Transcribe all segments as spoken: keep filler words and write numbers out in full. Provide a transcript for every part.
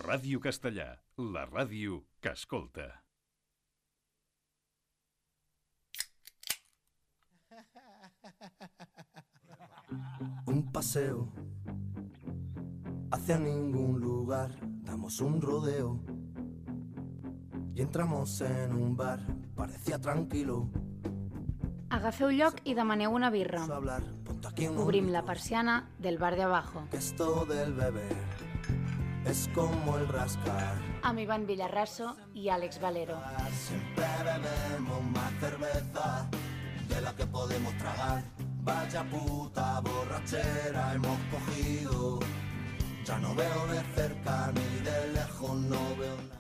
Ràdio Castellà, la ràdio que escolta. Un paseo hacia ningún lugar, damos un rodeo y entramos en un bar, parecía tranquilo. Agafeu lloc i demaneu una birra. Hablar, ponte aquí unos Obrim la gritos, persiana del bar de abajo. que esto del beber es como el rascar. Amb Ivan Villarraso i Àlex Valero. Siempre bebemos más cerveza de la que podemos tragar. Vaya puta borrachera hemos cogido. Ya no veo de cerca ni de lejos, no veo nada.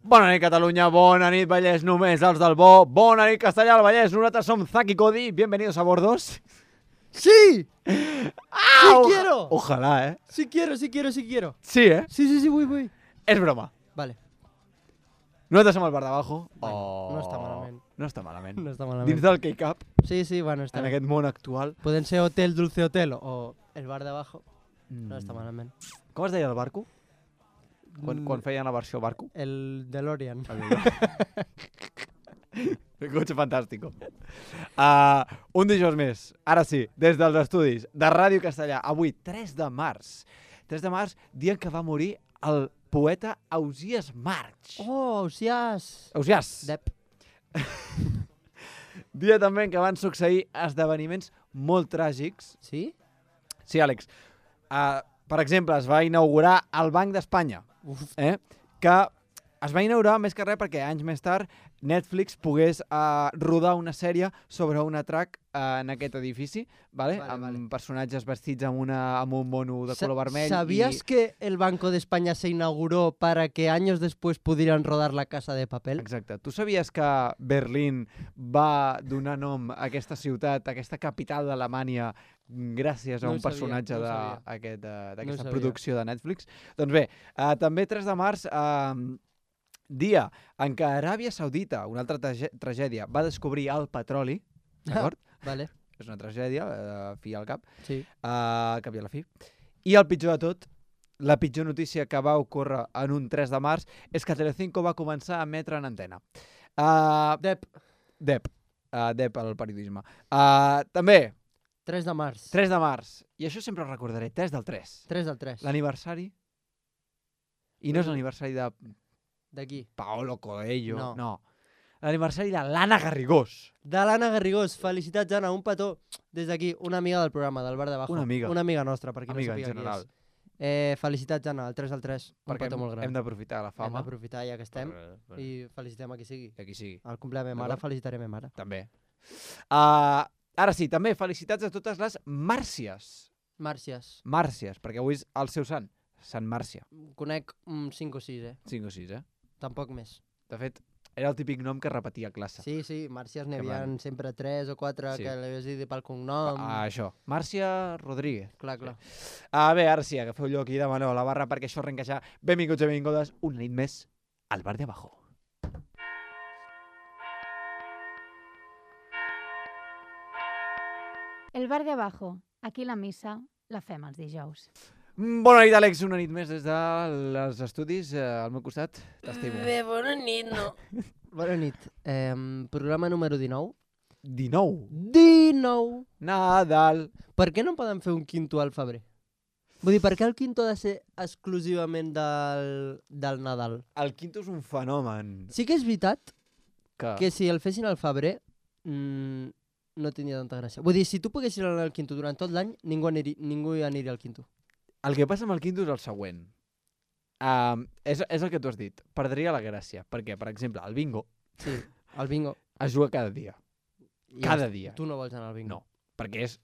Bona nit, Catalunya, bona nit, Vallès, només els del bo. Bona nit, Castellà, el Vallès, nosaltres som Zaki Cody. Bienvenidos a bordos. ¡Sí! ¡Ah! ¡Sí o- quiero! Ojalá, ¿eh? Sí quiero, sí quiero, sí quiero. Sí, ¿eh? Sí, sí, sí, voy, voy. És broma. Vale, Nosaltres som el bar d'abajo. Bueno, Oh. no està malament. No està malament. no està malament. Dins del K-Cup, Sí, sí, bueno, està en bé. aquest món actual. Poden ser Hotel Dulce Hotel o el bar de abajo. No Mm. està malament. Com es deia el barco? Quan, Mm, quan feien la versió barco? El DeLorean. El cotxe fantàstico. Uh, un dijous més, ara sí, des dels estudis de Ràdio Castellà. Avui, tres de març. tres de març, dia en què va morir el poeta Ausiàs March. Oh, Ausiàs. Ausiàs. Dep. Dia també en què van succeir esdeveniments molt tràgics. Sí? Sí, Àlex. Uh, per exemple, es va inaugurar el Banc d'Espanya, Uf. eh? que es va inaugurar més que res perquè anys més tard Netflix pogués uh, rodar una sèrie sobre un atrac uh, en aquest edifici, vale? Vale, amb vale. personatges vestits amb, una, amb un mono de Sa- color vermell. ¿Sabías i... que el Banco de España se inauguró para que años después pudieran rodar La Casa de Papel? Exacte. Tu sabies que Berlín va donar nom a aquesta ciutat, a aquesta capital d'Alemanya, gràcies a No ho un sabia, personatge no ho de- sabia. aquest, eh, d'aquesta No ho sabia. producció de Netflix? Doncs bé, uh, també tres de març, uh, dia en què Aràbia Saudita, una altra trage tragèdia, va descobrir el petroli, d'acord? Vale, És una tragèdia, uh, fi al cap, sí. uh, cap i a la fi. I el pitjor de tot, la pitjor notícia que va ocórrer en un tres de març és que Telecinco va començar a emetre en antena. Uh, Dep. Dep. Uh, Dep, el periodisme. Uh, també, tres de març. tres de març. I això sempre ho recordaré, tres del tres. tres del tres. L'aniversari. I no és l'aniversari de D'aquí. Paolo Coelho. No. no. L'aniversari de l'Anna Garrigós. De l'Anna Garrigós. Felicitats, Anna. Un petó. Des d'aquí, una amiga del programa, del bar de abajo. Una amiga. Una amiga nostra, per qui Amiga, no en sàpiga general. qui és. Eh, felicitats, Anna, el tres al tres. Un Perquè petó hem, molt gran. hem d'aprofitar la Hem fama. d'aprofitar ja que estem Per, per, i felicitem a qui sigui. que aquí sigui. Al compleament de ma mare, D'acord. felicitaré ma mare. També. Uh, ara sí, també felicitats a totes les Màrcies. Màrcies. Màrcies, perquè avui és el seu sant. Sant Màrcia. Conec un cinc o sis, eh? cinc o sis, eh? Tampoc més. De fet, era el típic nom que repetia a classe. Sí, sí, Màrcies n'hi Que havia van. sempre tres o quatre Sí. que l'havies dit pel cognom. Ah, això. Màrcia Rodríguez. Clar, clar. Ah, bé, ara sí, agafeu lloc i demaneu a la barra perquè això arrenca ja. Benvinguts i benvingudes una nit més al bar de abajo. El bar de abajo. Aquí la missa la fem els dijous. Mm, Bona nit, Àlex, una nit més des dels estudis. Eh, al meu costat, t'estimo. Bé, bona nit, no. Bona nit. Eh, programa número dinou. dinou. dinou! Nadal. Per què no podem fer un quinto al febrer? Vull dir, per què el quinto ha de ser exclusivament del, del Nadal? El quinto és un fenomen. Sí que és veritat Que... que si el fessin al febrer mmm, no tindria tanta gràcia. Vull dir, si tu poguessis anar al quinto durant tot l'any, ningú, aniria, ningú hi aniria al quinto. El que passa amb el quinto és el següent. Um, és, és el que tu has dit. Perdria la gràcia. Perquè, per exemple, el bingo Sí, el bingo. es juga cada dia. I Cada ja està. dia. Tu no vols anar al bingo. No, perquè és,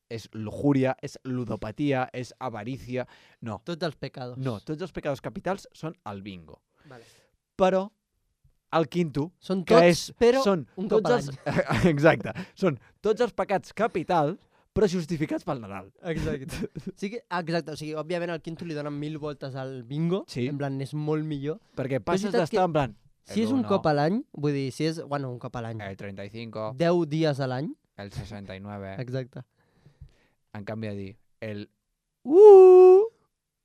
és lujuria, és ludopatia, és avarícia. No, Tots els pecados. no, tots els pecados capitals són el bingo. Vale. Però el quinto, Són que tots, és, però són un cop tots a els... Exacte, són tots els pecats capitals, però justificats pel Nadal. Exacte. Sí que, ah, exacte. O sigui, òbviament al quinto li donen mil voltes al bingo. Sí. En plan, és molt millor. Perquè és passes veritat d'estar que en plan... Si és un cop a l'any, vull dir, si és... Bueno, un cop a l'any. El treinta y cinco, deu dies a l'any. el sesenta y nueve, Exacte. en canvi de dir el... Uh,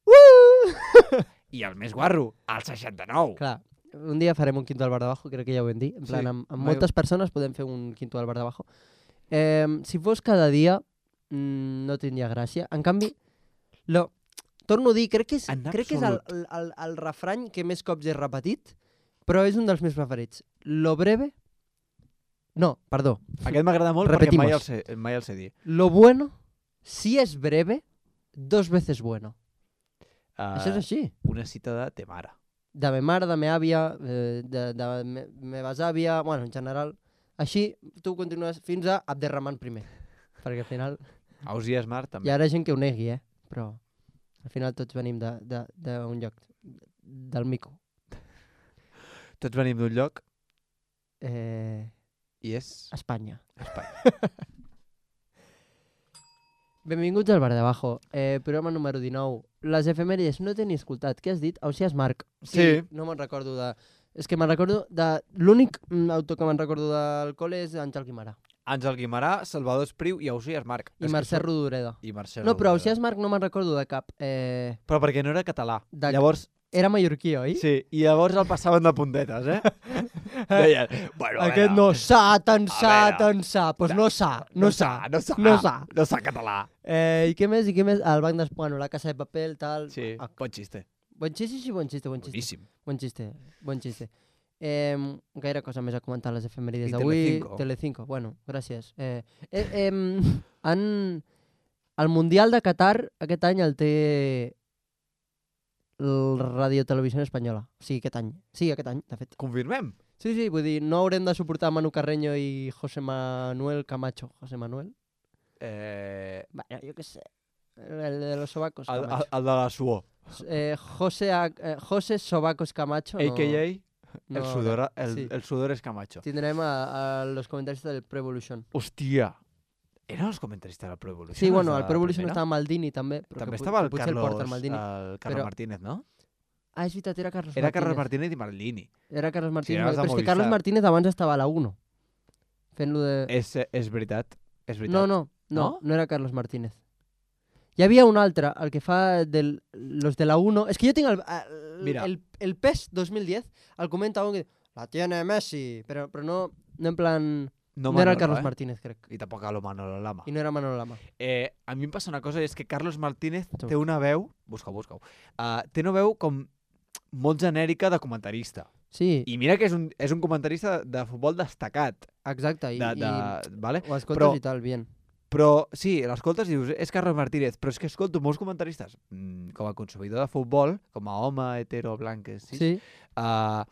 uh, I el més guarro, el seixanta-nou. Clar, un dia farem un quinto al bar de bajo, crec que ja ho vam dir. En plan, Sí, amb, amb mai- moltes persones podem fer un quinto al bar de bajo. Eh, si fos cada dia, mm, no tindria gràcia. En canvi, lo, torno a dir, crec que és, En crec que és el, absolut. el, el, el refrany que més cops he repetit, però és un dels meus preferits. Lo breve... No, perdó. Aquest m'agrada molt Repetimos. perquè mai el, sé, mai el sé dir. Lo bueno, si es breve, dos veces bueno. Uh, Això és així. Una cita de te mare. De me mare, de me àvia, eh, de, de me, meves àvia, bueno, en general. Així, tu continues fins a Abderrahman primer. Perquè al final... Ausias Mar també. Hi haurà gent que ho negui, eh? Però al final tots venim d'un de, de, d'un lloc, del mico. Tots venim d'un lloc Eh, i és... Espanya. Espanya. Benvinguts al Bar de Bajo, eh, programa número dinou. Les efemèrides no t'he ni escoltat. Què has dit? Ausias Marc. Sí. No me'n recordo de... És que me'n recordo de... L'únic mm, autor que me'n recordo del col·le és Àngel Guimarà. Àngel Guimarà, Salvador Espriu i Ausias Marc. I Mercè Rodoreda. I Mercè No, però Rodoreda. Ausias Marc no me'n recordo de cap. Eh, Però perquè no era català. De- Llavors, era mallorquí, oi? sí, i llavors el passaven de puntetes, eh? Deien, bueno, a Aquest veure, no sa, tan sa, veure. tan sa. Doncs pues no sa, no sa. no sa, no sa. no sa català. Eh, I què més? I què més? El banc d'Espanya, bueno, la casa de paper, tal... Sí, Ah, bon xiste. Bon xiste, sí, bon xiste, bon xiste. Boníssim. Bon xiste, bon xiste. Eh, gaire cosa més a comentar a les efemèrides I d'avui. Telecinco. Telecinco, bueno, gràcies. Eh, eh, eh, han... El Mundial de Qatar aquest any el té el Radio Televisió Espanyola. Sí, aquest any. Sí, aquest any, de fet. Confirmem. Sí, sí, vull dir, no haurem de suportar Manu Carreño i José Manuel Camacho. José Manuel? Eh, Bueno, jo què sé. El de los sobacos el, el, Camacho. el de la suor. Eh, José, A- eh, José Sobacos Camacho. A K A no, el, sudor, el, sí. el sudor es Camacho. Tindrem a, a los comentaristas del Pro Evolution. Hòstia. Eren els comentaristes del Pro Evolution? Sí, bueno, els al de Pro la Evolution primera? estava Maldini també. Però També que, estava el que potser el porta el Carlos, Maldini. el Carlos però- Martínez, no? Ah, és veritat, era Carlos Era Martínez. Carlos Martínez i Maldini. Era Carlos Martínez. eren els de però és que Movistar. Carlos Martínez abans estava a la uno. Fent-lo de... És, és veritat. És veritat. No, no, no, No? no era Carlos Martínez. Hi havia un altre, el que fa del, los de la uno. És que jo tinc el, el, Mira. el, el P E S dos mil diez, el comenta un que la tiene Messi, però, però no, no en plan... No, no era el Manolo, Carlos eh? Martínez, crec. I tampoc a lo Manolo Lama. I no era Manolo Lama. Eh, a mi em passa una cosa, és que Carlos Martínez Tu. té una veu... Busca-ho, busca-ho. Uh, té una veu com molt genèrica de comentarista. Sí, I mira que és un, és un comentarista de, de futbol destacat. exacte. I, De, de, i vale? ho escoltes però- i tal, bien. Però sí, l'escoltes i dius, és Carlos Martínez, però és que escolto molts comentaristes, mm, com a consumidor de futbol, com a home hetero blanc que sí, Sí, uh,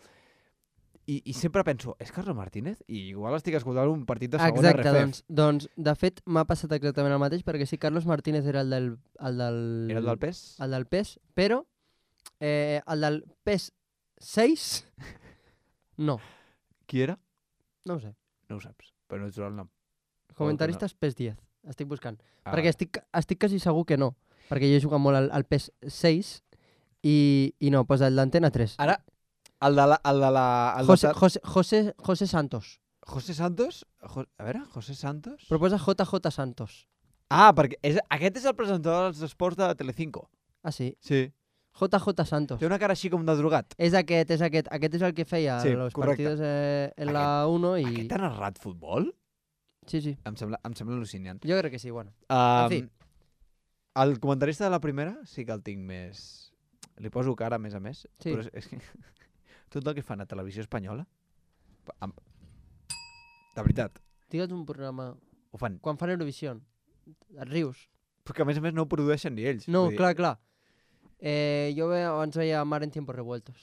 i, i sempre penso, és Carlos Martínez? I igual estic escoltant un partit de segona exacte. R F. Doncs, doncs, de fet, m'ha passat exactament el mateix, perquè sí, Carlos Martínez era el del... El del, Era el del pes? el del P E S, però eh, el del P E S sis, no, Qui era? no ho sé. No ho saps, però no ets el nom. Comentaristes P E S diez, estic buscant. Ah, Perquè estic, estic quasi segur que no, perquè jo he jugat molt al, al P E S sis i, i no, posa el d'Antena tres. Ara, el de la... El de la el José, de... José, José, José Santos. José Santos? Jo... A veure, José Santos? Però posa J J Santos. Ah, perquè és, aquest és el presentador dels esports de Telecinco. Ah, sí. Sí. J J Santos. Té una cara així com de drogat. És aquest, és aquest. Aquest és el que feia Sí, los correcte. partidos eh, en la uno i... Aquest ha narrat futbol? Sí, sí. Em sembla, em sembla al·lucinant. Jo crec que sí, bueno. Um, fi. El comentarista de la primera sí que el tinc més... Li poso cara, a més a més. Sí. Però és, és que tot el que fan a Televisió Espanyola... Amb... De veritat, Digue'ns un programa... ho fan. Quan fan Eurovisió, et rius. Però que a més a més no ho produeixen ni ells. No, Vull dir, clar, clar. Eh, jo ve, abans veia Mar en tiempos revueltos.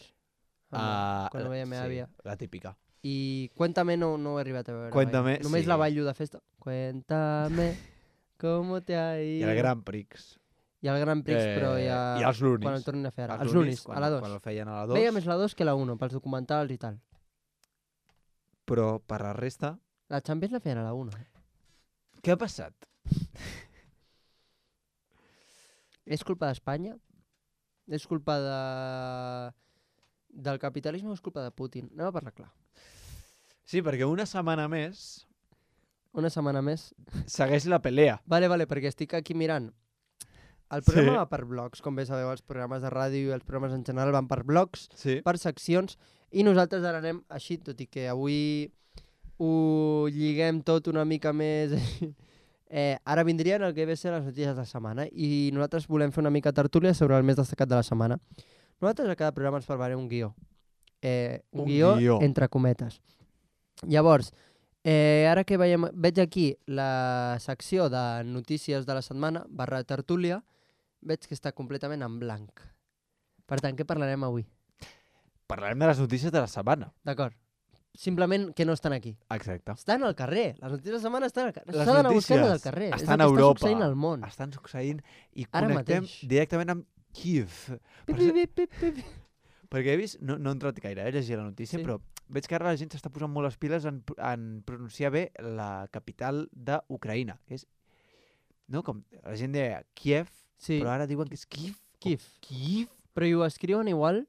ah, quan ho veia meva àvia. la típica. I Cuéntame no, no ho he arribat a veure. Cuéntame, mai. Només sí. la ballo de festa. Cuéntame cómo te ha I ido. el Gran Prix. I el Gran Prix, Eh, però ja... I els lunis. Quan el tornin a fer ara. Els Els lunis, quan, a la dos. Quan el feien a la dos. Veia més la dos que la uno, pels documentals i tal. Però per la resta... La Champions la feien a la uno. Eh? Què ha passat? És culpa d'Espanya? És culpa de... del capitalisme o és culpa de Putin? Anem a parlar clar. Sí, perquè una setmana més Una setmana més. segueix la pelea. Vale, vale, perquè estic aquí mirant El programa Sí. va per blocs, com bé sabeu, els programes de ràdio i els programes en general van per blocs, Sí. per seccions, i nosaltres ara anem així, tot i que avui ho lliguem tot una mica més... eh, ara vindrien el que ve a ser les notícies de la setmana i nosaltres volem fer una mica tertúlia sobre el més destacat de la setmana. Nosaltres a cada programa ens preparem un guió. Eh, un, Un guió, guió. entre cometes. Llavors, eh, ara que veiem, veig aquí la secció de notícies de la setmana, barra tertúlia, veig que està completament en blanc. Per tant, què parlarem avui? Parlarem de les notícies de la setmana. D'acord. Simplement que no estan aquí. Exacte. Estan al carrer. Les notícies de la setmana estan al carrer. Les S'ha d'anar a buscar-les notícies al carrer. És estan el a que Europa. està succeint al món. Estan succeint i Ara connectem mateix. directament amb Kiev. Pi, Per pi, ser- pi, pi, pi, pi. Perquè he vist, no, no he entrat gaire, he llegit la notícia, Sí. però veig que ara la gent s'està posant molt les piles en, pr- en pronunciar bé la capital d'Ucraïna, que és, no, com la gent deia Kiev, Sí, però ara diuen que és Kiev. o Kiev. Kiev? Però i ho escriuen igual?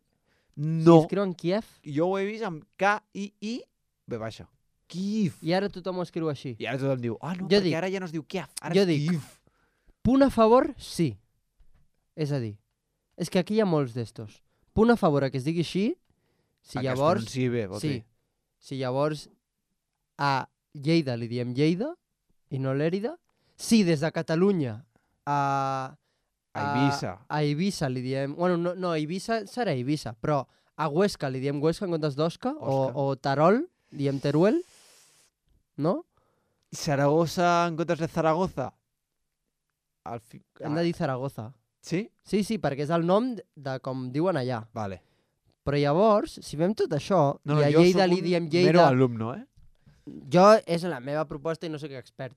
No, Si escriuen Kiev jo ho he vist amb K I I B baixa. Kiev. i ara tothom ho escriu així. I ara tothom diu, ah no, Jo perquè dic- ara ja no es diu Kiev, ara jo és dic- Kiev. Punt a favor, sí. És a dir, és que aquí hi ha molts d'estos. Punt a favor a que es digui així, si A que es llavors... pronunciï bé, vols Sí, dir. si llavors a Lleida li diem Lleida i no Lèrida, si des de Catalunya a... A Eivissa. A Eivissa li diem... Bueno, no, no, Eivissa serà Eivissa, però a Huesca li diem Huesca en comptes d'Osca, o, Osca. o Tarol, diem Teruel, no? Saragossa en comptes de Zaragoza. Al fi... Hem de dir Zaragoza. Sí? Sí, sí, perquè és el nom de com diuen allà. Vale. Però llavors, si fem tot això, No, no, i a jo Lleida soc li un diem mero Lleida... alumno, eh? Jo és la meva proposta i no sóc expert.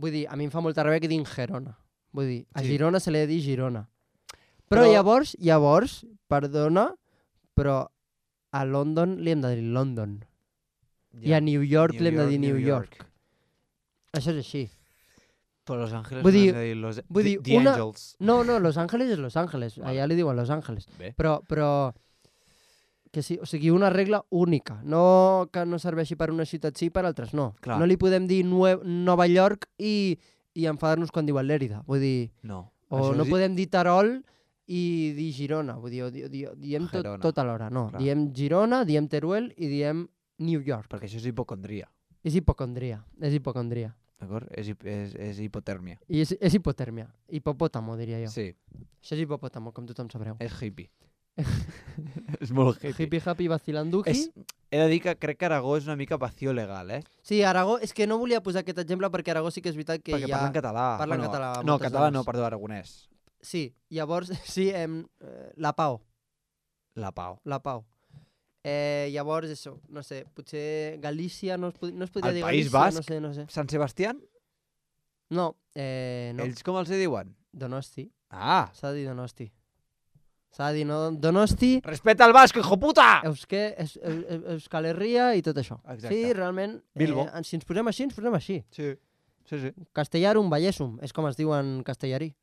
Vull dir, a mi em fa molta ràbia que diguin Gerona. Vull dir, a Sí. Girona se li ha de dir Girona. Però, Però- llavors, llavors, perdona, però a London li hem de dir London. I a New York li hem de dir New York. Això és així. Però Los Ángeles Vull no dir- hem de dir Los... vull dir, The una- Angels. No, no, Los Ángeles és Los Ángeles. Vale. Allà li diuen Los Ángeles. Bé. Però, però que sí, o sigui, una regla única, no que no serveixi per una ciutat sí i per altres no. Clar. No li podem dir Nue Nova York i, i enfadar-nos quan diuen Lèrida. Vull dir, No. o Això no és- podem dir Tarol i dir Girona. Vull dir, o di, di, diem tot, Gerona. tot alhora. No, Clar. diem Girona, diem Teruel i diem New York. Perquè això és hipocondria. És hipocondria, és hipocondria. D'acord? És, hip- és, és hipotèrmia. I és, és hipotèrmia. Hipopòtamo, diria jo. Sí. Això és hipopòtamo, com tothom sabreu. És hippie. és molt hippie. Hippie happy vacilanduki. És, he de dir que crec que Aragó és una mica vacío legal, eh? Sí, Aragó, és que no volia posar aquest exemple perquè Aragó sí que és veritat que Perquè hi ha... parlen català. parlen català No, moltes català zones. no, perdó, aragonès. Sí, llavors, sí, em, eh, la Pau, La Pau. la Pau. Eh, llavors, això, no sé, potser Galícia no es, pod no es podria El dir País Galícia, no Basc? sé, no sé. Sant Sebastián? No, eh, no, Ells com els hi diuen? Donosti, Ah! s'ha de dir Donosti. S'ha de dir no, Donosti, Respeta el basc, hijo puta! Euske, Eus, Eus, Eus, Euskal Herria i tot això. Exacte. Sí, realment, Bilbo. Eh, si ens posem així, ens posem així. Sí. Sí, sí. Castellarum, Vallesum, és com es diu en castellarí.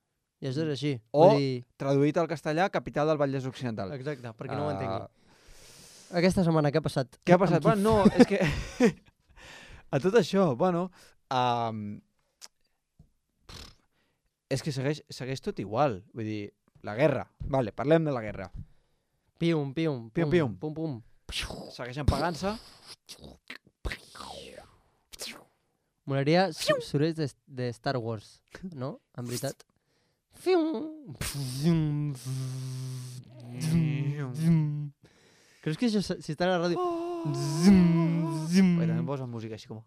I això és així. O- Vull dir... Traduït al castellà, capital del Vallès Occidental. Exacte, perquè no ho Ah, entengui. Aquesta setmana, què ha passat? Què ha passat? Amb qui- Bueno, no, és que... a tot això, bueno... Um... És que segueix, segueix tot igual. Vull dir, la guerra. Vale, parlem de la guerra. Pium, pium, Pium, pum, pium. pum, pum. Segueixen pagant-se. Molaria su- sorolls de, de Star Wars, no? En veritat. Fium. Creus que això, s- si està a la ràdio... Perquè també posen música així com...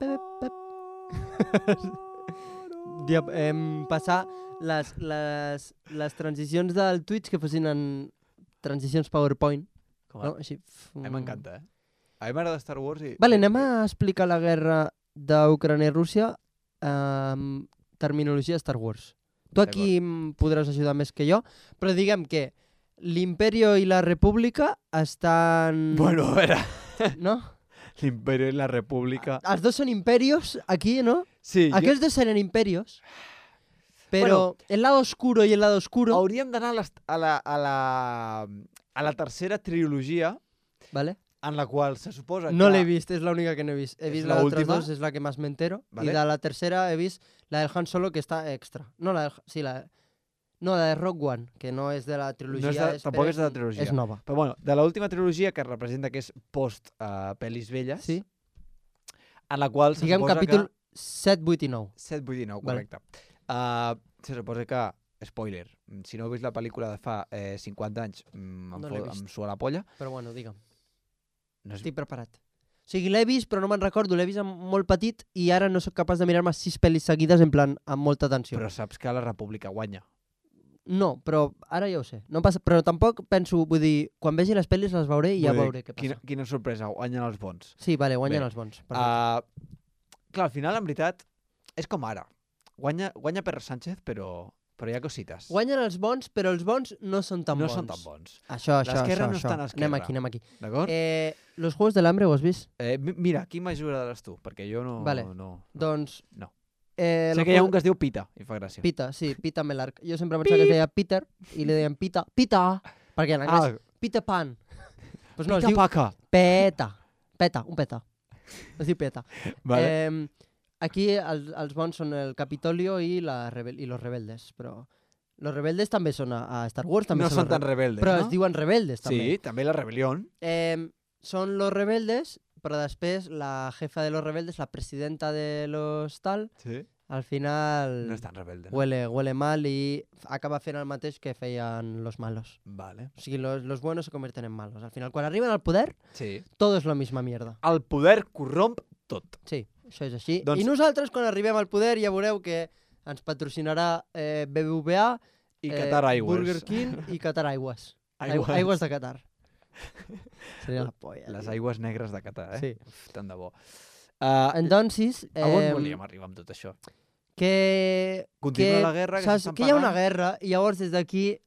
Dia, em, passar les, les, les transicions del Twitch que fossin en transicions PowerPoint. com No? Així. A mi m'encanta, eh? A mi m'agrada Star Wars i... Vale, anem a explicar la guerra d'Ucrània i Rússia amb terminologia Star Wars. Tu aquí em podràs ajudar més que jo, però diguem que l'Imperio i la República estan... Bueno, a veure... No? L'Imperio i la República... Els dos són imperios aquí, ¿no? Sí, jo... Aquells dos seran imperios, pero el lado oscuro y el lado oscuro... Hauríem d'anar a, les- a, la, a, la, a la tercera trilogia, ¿Vale? en la qual se suposa No que... l'he vist, és l'única que no he vist. He És vist la les altres última? dos, és la que més m'entero. Vale. I de la tercera he vist la del Han Solo, que està extra. No, la del... Sí, la... No, la de Rogue One, que no és de la trilogia. No és de, és, tampoc però és de la trilogia. És nova. Però bueno, de l'última trilogia, que representa que és post uh, pel·lis velles, Sí? en la qual se Diguem suposa capítol que... set, vuit i nou. set, vuit i nou, Vale. correcte. Uh, se suposa que, spoiler, si no heu vist la pel·lícula de fa eh, cinquanta anys, mm, em, No l'he fo- vist. em sua la polla. Però bueno, digue'm. No és... Estic preparat. O sigui, l'he vist, però no me'n recordo. L'he vist amb molt petit i ara no sóc capaç de mirar-me sis pel·lis seguides en plan amb molta atenció. Però saps que la República guanya. No, però ara ja ho sé. No passa... Però tampoc penso, vull dir, quan vegi les pel·lis les veuré i ja Vull dir, veuré què passa. Quina, quina sorpresa, guanyen els bons. Sí, vale, guanyen Bé. els bons. Perfecte. Uh, clar, al final, en veritat, és com ara. Guanya, guanya Pedro Sánchez, però, però hi ha cosites. Guanyen els bons, però els bons no són tan no bons. són tan bons. Això, això, L'esquerra això. no això. està en esquerra. Anem aquí, anem aquí. D'acord? Eh, los Juegos del Hambre ho has vist? Eh, mi- mira, qui m'ajudaràs tu? Perquè jo no... Vale. no, no. Doncs... No. Eh, Sé los que hi ha Juegos- un que es diu Pita, i fa gràcia. Pita, sí, Pita Melark. Jo sempre pensava que es deia Peter i li deien Pita. Pita! Perquè en anglès... Ah, Peter Pan. Pues no, es Pita diu Paca. Peta. Peta, un peta. Es diu Peta. Vale. Eh, aquí els, els bons són el Capitolio i, la rebel i los rebeldes, però... Los rebeldes també són a, a Star Wars, també no són, són tan re- rebeldes, però no? es diuen rebeldes, també. Sí, també la rebel·lió. Eh, són los rebeldes, però després la jefa de los rebeldes, la presidenta de los tal, Sí. al final No és tan rebelde, no? huele, huele mal i acaba fent el mateix que feien los malos. Vale. O sigui, los, los buenos se convierten en malos. Al final, quan arriben al poder, Sí. todo es la misma mierda. El poder corromp tot. Sí, això és així. Doncs- I nosaltres, quan arribem al poder, ja veureu que ens patrocinarà eh, B B V A, I eh, Qatar Airways. Burger King i Qatar Aigües. Aigües. Aigües. Aigües de Qatar. Seria la polla. Les tio. aigües negres de Qatar, eh? Sí. Uf, tant de bo. Uh, Entonces, a on eh, volíem arribar amb tot això? que... Continua que, la guerra, que saps, s'estan que hi ha una pagant. guerra i llavors des d'aquí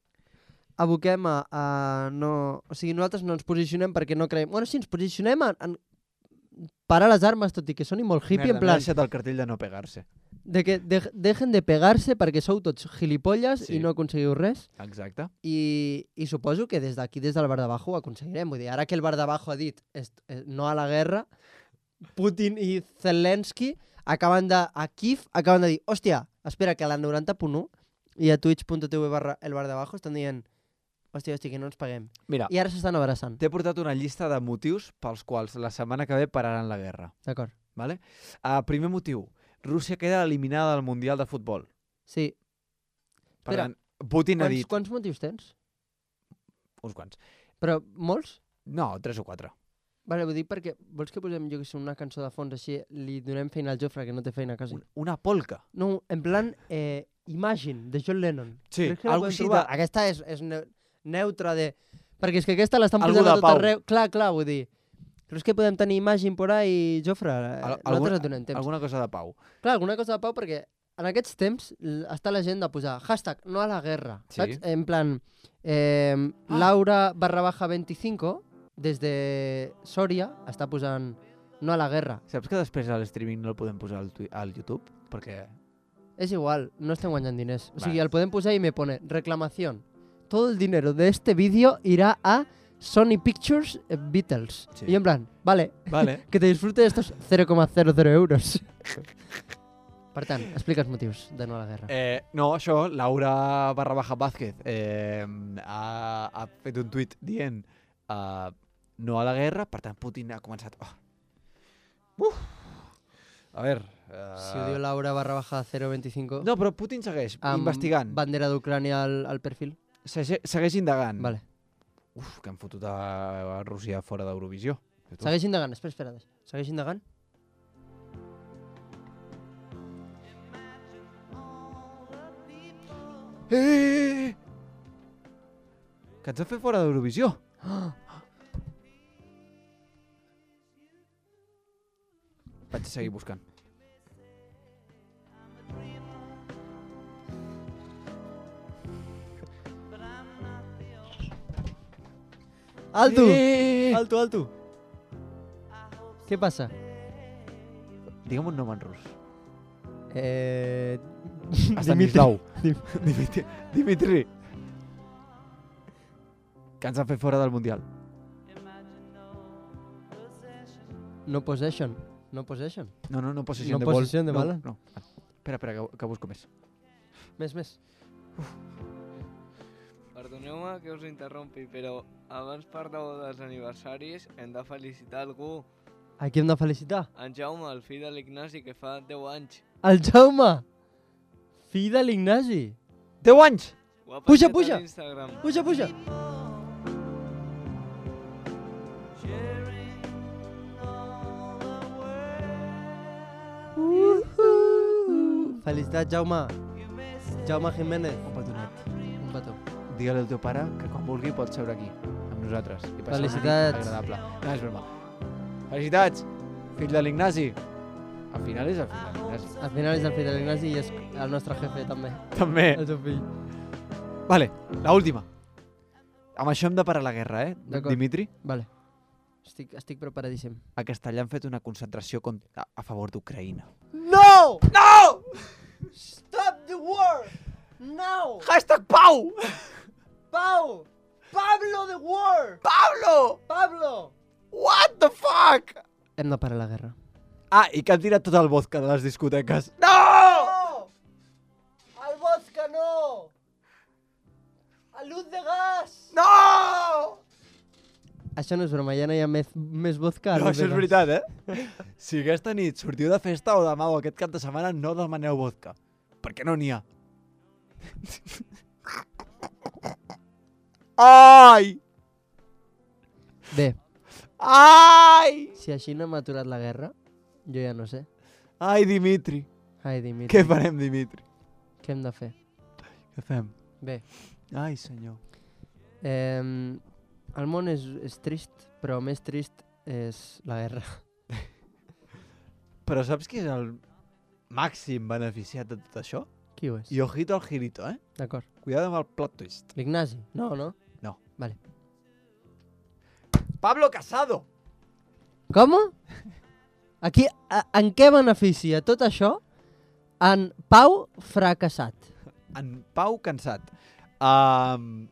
aboquem a, a no... O sigui, nosaltres no ens posicionem perquè no creiem... Bueno, sí, ens posicionem en, en parar les armes, tot i que soni molt hippie, Merda, en plan, m'he deixat el cartell de no pegar-se. de que de, dejen de pegar-se perquè sou tots gilipolles Sí. i no aconseguiu res. Exacte. I, i suposo que des d'aquí, des del bar d'abajo, ho aconseguirem. Vull dir, ara que el bar d'abajo ha dit est, eh, no a la guerra, Putin i Zelensky acaben de, a Kiev acaben de dir, hòstia, espera, que a la noranta punt u i a twitch.tv barra el bar d'abajo estan dient, hòstia, hòstia, que no ens paguem. Mira, I ara s'estan abraçant. t'he portat una llista de motius pels quals la setmana que ve pararan la guerra. D'acord. Vale? Uh, primer motiu. Rússia queda eliminada del Mundial de Futbol. Sí. Per Espera, tant, Putin ha Quants, dit... quants motius tens? Uns quants. Però molts? No, tres o quatre. Vale, vull dir perquè vols que posem, jo que sé, una cançó de fons així, li donem feina al Jofre, que no té feina quasi. Un, una polca. No, en plan, eh, Imagine, de John Lennon. Sí, Creus que la algo podem així trobar? de- Aquesta és, és ne neutra de... Perquè és que aquesta l'estan Algú posant a de tot pau. arreu. Clar, clar, vull dir. Creus que podem tenir Imagine por ahí, Jofre? Eh, Al- Nosaltres et donem temps. Alguna cosa de pau. Clar, alguna cosa de pau perquè en aquests temps l- està la gent de posar hashtag no a la guerra, Sí. saps? En plan, eh, Ah. Laura barra baja veinticinco des de Sòria està posant no a la guerra. Saps que després a l'streaming no el podem posar al, tui- al YouTube? Perquè... És igual, no estem guanyant diners. O sigui, Vale. el podem posar i me pone reclamación. Todo el dinero de este vídeo irá a Sony Pictures eh, Beatles. Sí. Y en plan, vale, Vale. que te disfrute de estos cero coma cero cero euros. Per tant, explica els motius de no a la guerra. Eh, no, això, Laura barra baja Vázquez eh, ha, ha fet un tuit dient uh, no a la guerra, per tant Putin ha començat... Oh. Uf. A veure... Uh, Si ho diu Laura barra baja zero veinticinco, No, però Putin segueix amb investigant, bandera d'Ucrània al, al perfil. Sege, segueix indagant. Vale. Uf, que han fotut a, a Rússia fora d'Eurovisió. Segueix indagant, espera, espera. Segueix indagant. Eh, eh, eh! Que ens han fet fora d'Eurovisió. Vaig seguir buscant. Alto! Eh! Alto, alto! Què passa? Digue'm un nom en rus. Eh... Stanislau. Dim- Dimitri. Dimitri. Que ens han fet fora del Mundial. No possession. No possession. No, no, no possession No de ball. possession de no, bala. No. Espera, espera, que, que busco més. Més, més. perdoneu-me que us interrompi, però abans parleu dels aniversaris, hem de felicitar algú. A qui hem de felicitar? En Jaume, el fill de l'Ignasi, que fa deu anys. El Jaume! Fill de l'Ignasi. deu anys! Ho ha Puja, penjat a puja. l'Instagram. Puja, puja. Uh-huh. Felicitats, Jaume. Jaume Jiménez. Un petonet. Un petó. Digue-li al teu pare que quan vulgui pot seure aquí, amb nosaltres. I passar una nit Felicitats. agradable. No, és broma. Felicitats, fill de l'Ignasi. Al final és el fill de l'Ignasi. Al final és el fill de l'Ignasi i és el nostre jefe, també. També. El seu fill. Vale, la última. Amb això hem de parar la guerra, eh? D'acord. Dimitri, Vale. Estic, estic preparadíssim. a Castellà han fet una concentració contra, a favor d'Ucraïna. No! No! Stop the war! Now! Hashtag Pau! Pau! Pablo the war! Pablo! Pablo! What the fuck? Hem de parar la guerra. Ah, i que han tirat tot el vodka de les discoteques. No! No! El vodka no! El luz de gas! No! Això no és broma, ja no hi ha més, més vodka. No, això és veritat, eh? Si aquesta nit sortiu de festa o demà o aquest cap de setmana, no demaneu vodka. Perquè no n'hi ha. Ai! Bé, Ai! si així no hem aturat la guerra, jo ja no sé. Ai, Dimitri. Ai, Dimitri, Què farem, Dimitri? què hem de fer? Què fem? Bé, Ai, senyor. eh, el món és, és trist, però més trist és la guerra. Però saps qui és el màxim beneficiat de tot això? Qui ho és? I ojito al girito, eh? D'acord. Cuidado amb el plot twist. L'Ignasi? No, no? No. Vale. Pablo Casado! Com? Aquí, a, en què beneficia tot això en Pau fracassat? En Pau cansat. Um,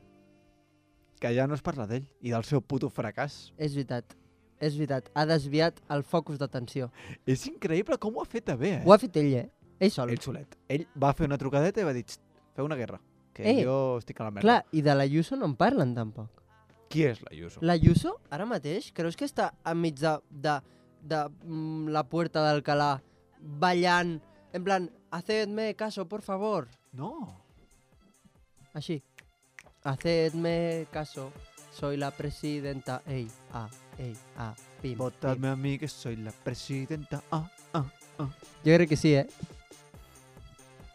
que ja no es parla d'ell i del seu puto fracàs. És veritat, és veritat. Ha desviat el focus d'atenció. És increïble com ho ha fet bé, eh? Ho ha fet ell, eh? Ell sol. Ell solet. Ell va fer una trucadeta i va dir, "Xt, feu una guerra, que Eh, jo estic a la merda." Clar, i de l'Ayuso no en parlen tampoc. Qui és l'Ayuso? L'Ayuso, ara mateix, creus que està enmig de, de, de mm, la Puerta d'Alcalá ballant, en plan, hacedme caso, por favor? No. Així. Hacedme caso, soy la presidenta. Ey, ah, ey, ah, pim, Votadme pim. a mi que soy la presidenta. Ah, ah, ah. Jo crec que sí, eh?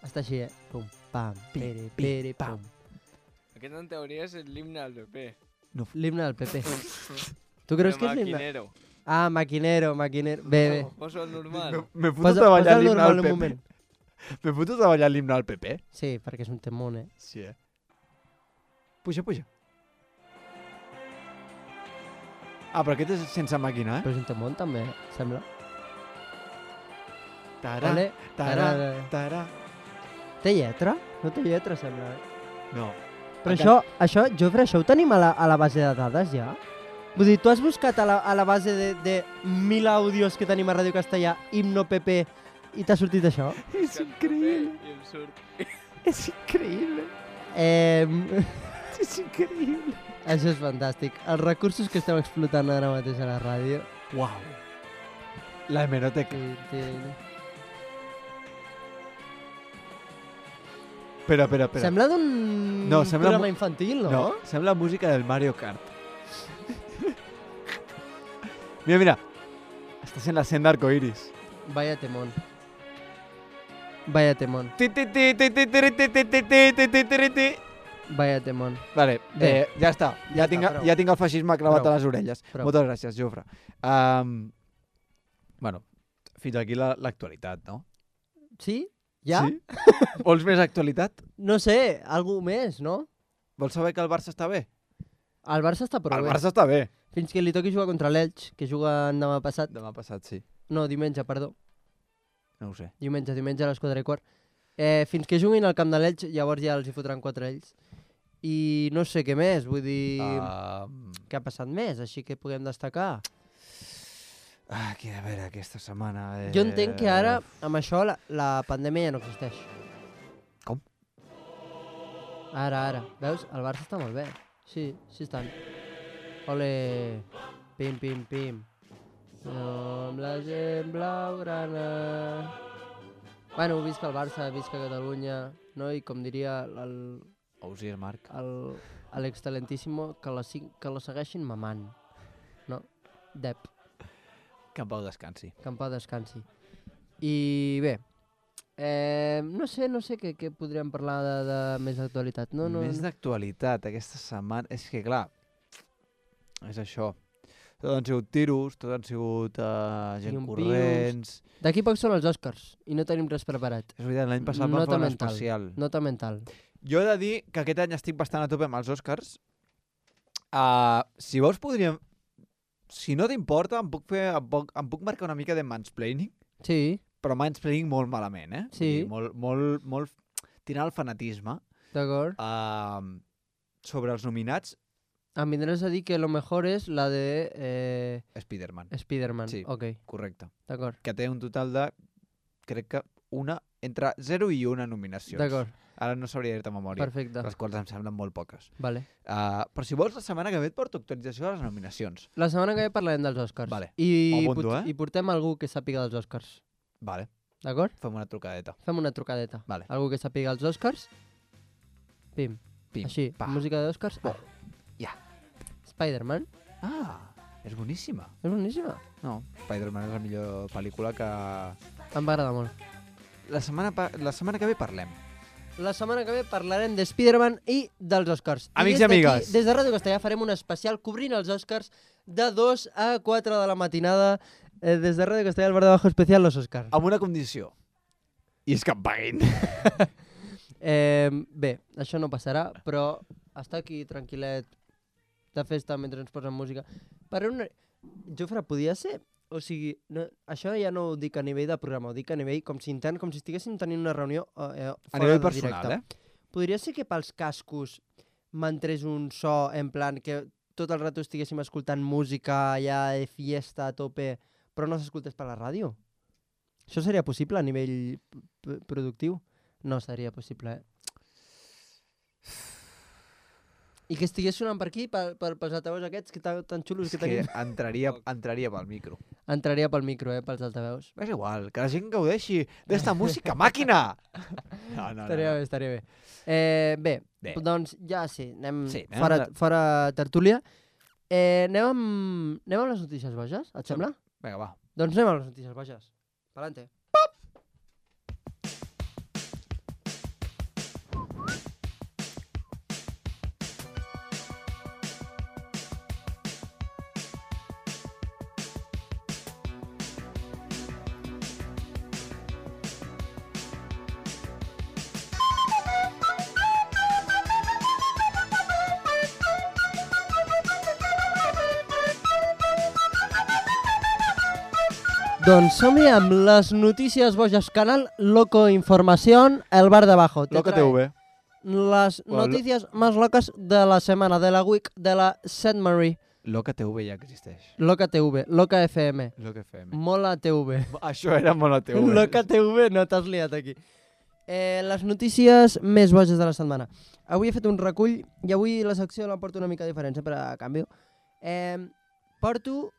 Està així, eh? Pum, pam, Pim, pere, pim, pere, pam. pum. Aquest en teoria és l'himne del P P. L'himne del P P. Tu creus que és l'himne? Maquinero. Ah, maquinero, maquinero. Bé, bé. Poso el normal. M'he fotut Posa, a ballar posa el l'himne normal al un P P. moment. M'he fotut a ballar l'himne al P P. Sí, perquè és un temón, eh? Sí, eh? Puja, puja. Ah, però aquest és sense màquina, eh? Però és un temón també, eh? Sembla. Tarà, Vale. tarà, Tarà. tarà. Té lletra? No té lletra, sembla, eh? No. Però Encara- això, això, Jofre, això ho tenim a la, a la base de dades ja? Vull dir, tu has buscat a la, a la base de, de mil àudios que tenim a Ràdio Castellà, himno P P, i t'ha sortit això? És increïble. I em surt. És increïble. Eh, És increïble. això és fantàstic. Els recursos que estem explotant ara mateix a la ràdio. Uau. La hemeroteca. Sí, sí. Espera, espera, espera. Sembla d'un No, sembla programa mu- infantil, no? No, sembla música del Mario Kart. Mira, mira. Està sent la sent d'arcoiris. Vaya temón. Vaya temón. Ti, ti, ti, ti, ti, ti, ti, ti, ti, ti, ti, ti, ti, ti. Vaya temón. Vale, Bé. eh, ja està. Ja, Ja tinc, està, prou. ja tinc el feixisme clavat Prou. a les orelles. Prou. Moltes gràcies, Jofre. Um, bueno, fins aquí la- l'actualitat, no? Sí? Ja? Sí? Vols més actualitat? No sé, algú més, no? Vols saber que el Barça està bé? El Barça està prou El bé. Barça està bé. Fins que li toqui jugar contra l'Elx, que juga demà passat. Demà passat, sí. No, diumenge, perdó. No ho sé. Diumenge, diumenge a les quatre i quart. Eh, fins que juguin al camp de l'Elx, llavors ja els hi fotran quatre ells. I no sé què més, vull dir... Um, Què ha passat més, així que puguem destacar? ah, aquí, a veure, aquesta setmana... Eh... Jo entenc que ara, amb això, la, la pandèmia ja no existeix. Com? Ara, ara. Veus? El Barça està molt bé. Sí, sí estan. Ole. Pim, pim, pim. Amb la gent blaugrana. Bueno, visca el Barça, visca Catalunya, no? I com diria el... Ausier Marc. el l'excelentíssimo, que la, que la segueixin mamant. No? Dep. Que en pau descansi. Que en pau descansi. I bé, eh, no sé, no sé què, què podríem parlar de, de més d'actualitat. No, no, Més d'actualitat, aquesta setmana... És que, clar, és això. Tot han sigut tiros, tot han sigut uh, gent Llumpius. corrents... D'aquí poc són els Oscars i no tenim res preparat. És veritat, l'any passat vam Nota fer un mental. especial. Nota mental. Jo he de dir que aquest any estic bastant a tope amb els Oscars. Uh, si vols podríem... Si no t'importa, em puc fer, em puc, em puc marcar una mica de mansplaining, Sí, però mansplaining molt malament, eh? Sí. Vull dir, molt, molt, molt tirant al fanatisme. d'acord. Uh, sobre els nominats, Em vindràs a dir que lo mejor és la de eh, Spider-Man. Spider-Man. Sí. Ok, Correcte. d'acord. Que té un total de, crec que una, entre zero i una nominacions. D'acord, Ara no sabria dir-te a memòria, perfecte. les quals em semblen molt poques. Vale. Uh, però si vols, la setmana que ve et porto actualització de les nominacions. La setmana que ve parlarem dels Oscars. Vale. I, Ho apunto, pot- eh? I portem algú que sàpiga dels Oscars. Vale, D'acord? fem una trucadeta. Fem una trucadeta. Vale. Algú que sàpiga els Oscars. Pim. Pim, Així, pa. música d'Oscars. Oh, ja. Spider-Man. Ah, és boníssima. És boníssima. No, Spider-Man és la millor pel·lícula que... Em va agradar molt. La setmana, pa... la setmana que ve parlem. La setmana que ve parlarem de Spider-Man i dels Oscars. Amics des i amigues. d'aquí, Des de Ràdio Castellà farem un especial cobrint els Oscars de dos a quatre de la matinada. Eh, des de Ràdio Castellà, el bar de bajo especial, los Oscars. Amb una condició. I és que em paguin. Eh, bé, això no passarà, però estar aquí tranquil·let de festa mentre ens posen música. Per una... Jofre, podia ser... O sigui, no, això ja no ho dic a nivell de programa, ho dic a nivell com si intern, com si estiguéssim tenint una reunió eh, fora A nivell de personal, directe. eh? Podria ser que pels cascos m'entrés un so en plan que tot el rato estiguéssim escoltant música allà de fiesta a tope, però no s'escoltés per la ràdio? Això seria possible a nivell p- productiu? No seria possible, eh? I que estigués sonant per aquí, per, per, pels altaveus aquests que tan, tan xulos És que que tenim. entraria, entraria pel micro. Entraria pel micro, eh, pels altaveus. És igual, que la gent gaudeixi d'esta música, màquina! No, no, Estaria no, bé, estaria bé. Eh, bé, Bé. doncs ja sí, anem, Sí, anem fora, de- fora tertúlia. Eh, anem, amb, anem amb les notícies boges, et sembla? Vinga, va. Doncs anem amb les notícies boges. Palante. Doncs som-hi amb les notícies boges, canal Loco Información, el bar de abajo. Te Loca trae T V. Las Bueno, lo- noticias más locas de la semana, de la week, de la Saint Mary. Loca T V ja existeix. Loca T V, Loca F M, Loca F M. Mola T V. Això era molt la T V. Loca T V, no t'has liat aquí. Eh, les notícies més boges de la setmana. Avui he fet un recull i avui la secció la porto una mica diferent, sempre a canvi. Eh, porto...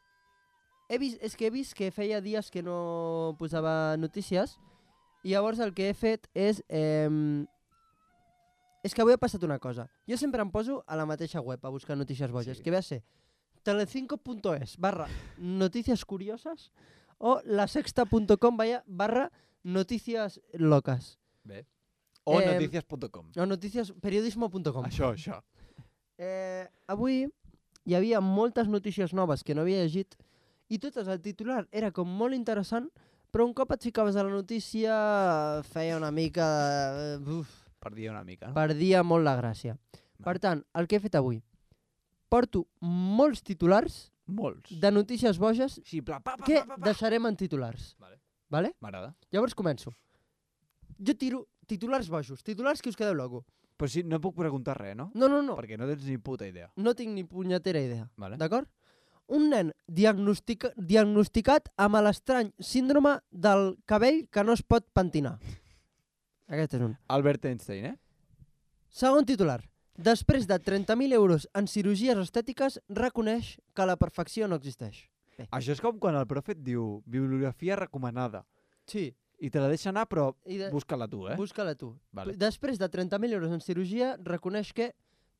He vist, és que he vist que feia dies que no posava notícies i llavors el que he fet és... Eh, és que avui ha passat una cosa. Jo sempre em poso a la mateixa web a buscar notícies boges, Sí. que ve a ser telecinco punto es barra noticias curiosas o lasexta punto com barra noticias locas. Bé. O Eh, noticias punto com. O noticias periodismo punto com. Això, això. Eh, avui hi havia moltes notícies noves que no havia llegit i totes el titular era com molt interessant, però un cop et ficaves a la notícia feia una mica... De... Uf, Perdia una mica, no? perdia molt la gràcia. Per tant, el que he fet avui, porto molts titulars Molts. de notícies boges Sí, pla, pa, pa, que pa, pa, pa. deixarem en titulars. Vale. Vale? M'agrada. Llavors començo. Jo tiro titulars bojos, titulars que us quedeu loco. Però sí, no puc preguntar res, no? No, no, no. Perquè no tens ni puta idea. No tinc ni punyetera idea. Vale. D'acord? Un nen diagnostica, diagnosticat amb l'estrany síndrome del cabell que no es pot pentinar. Aquest és un. Albert Einstein, eh? Segon titular. Després de trenta mil euros en cirurgies estètiques, reconeix que la perfecció no existeix. Bé. Això és com quan el profe et diu bibliografia recomanada Sí. i te la deixa anar, però I de... busca-la tu, eh? Busca-la tu. Vale. Després de trenta mil euros en cirurgia, reconeix que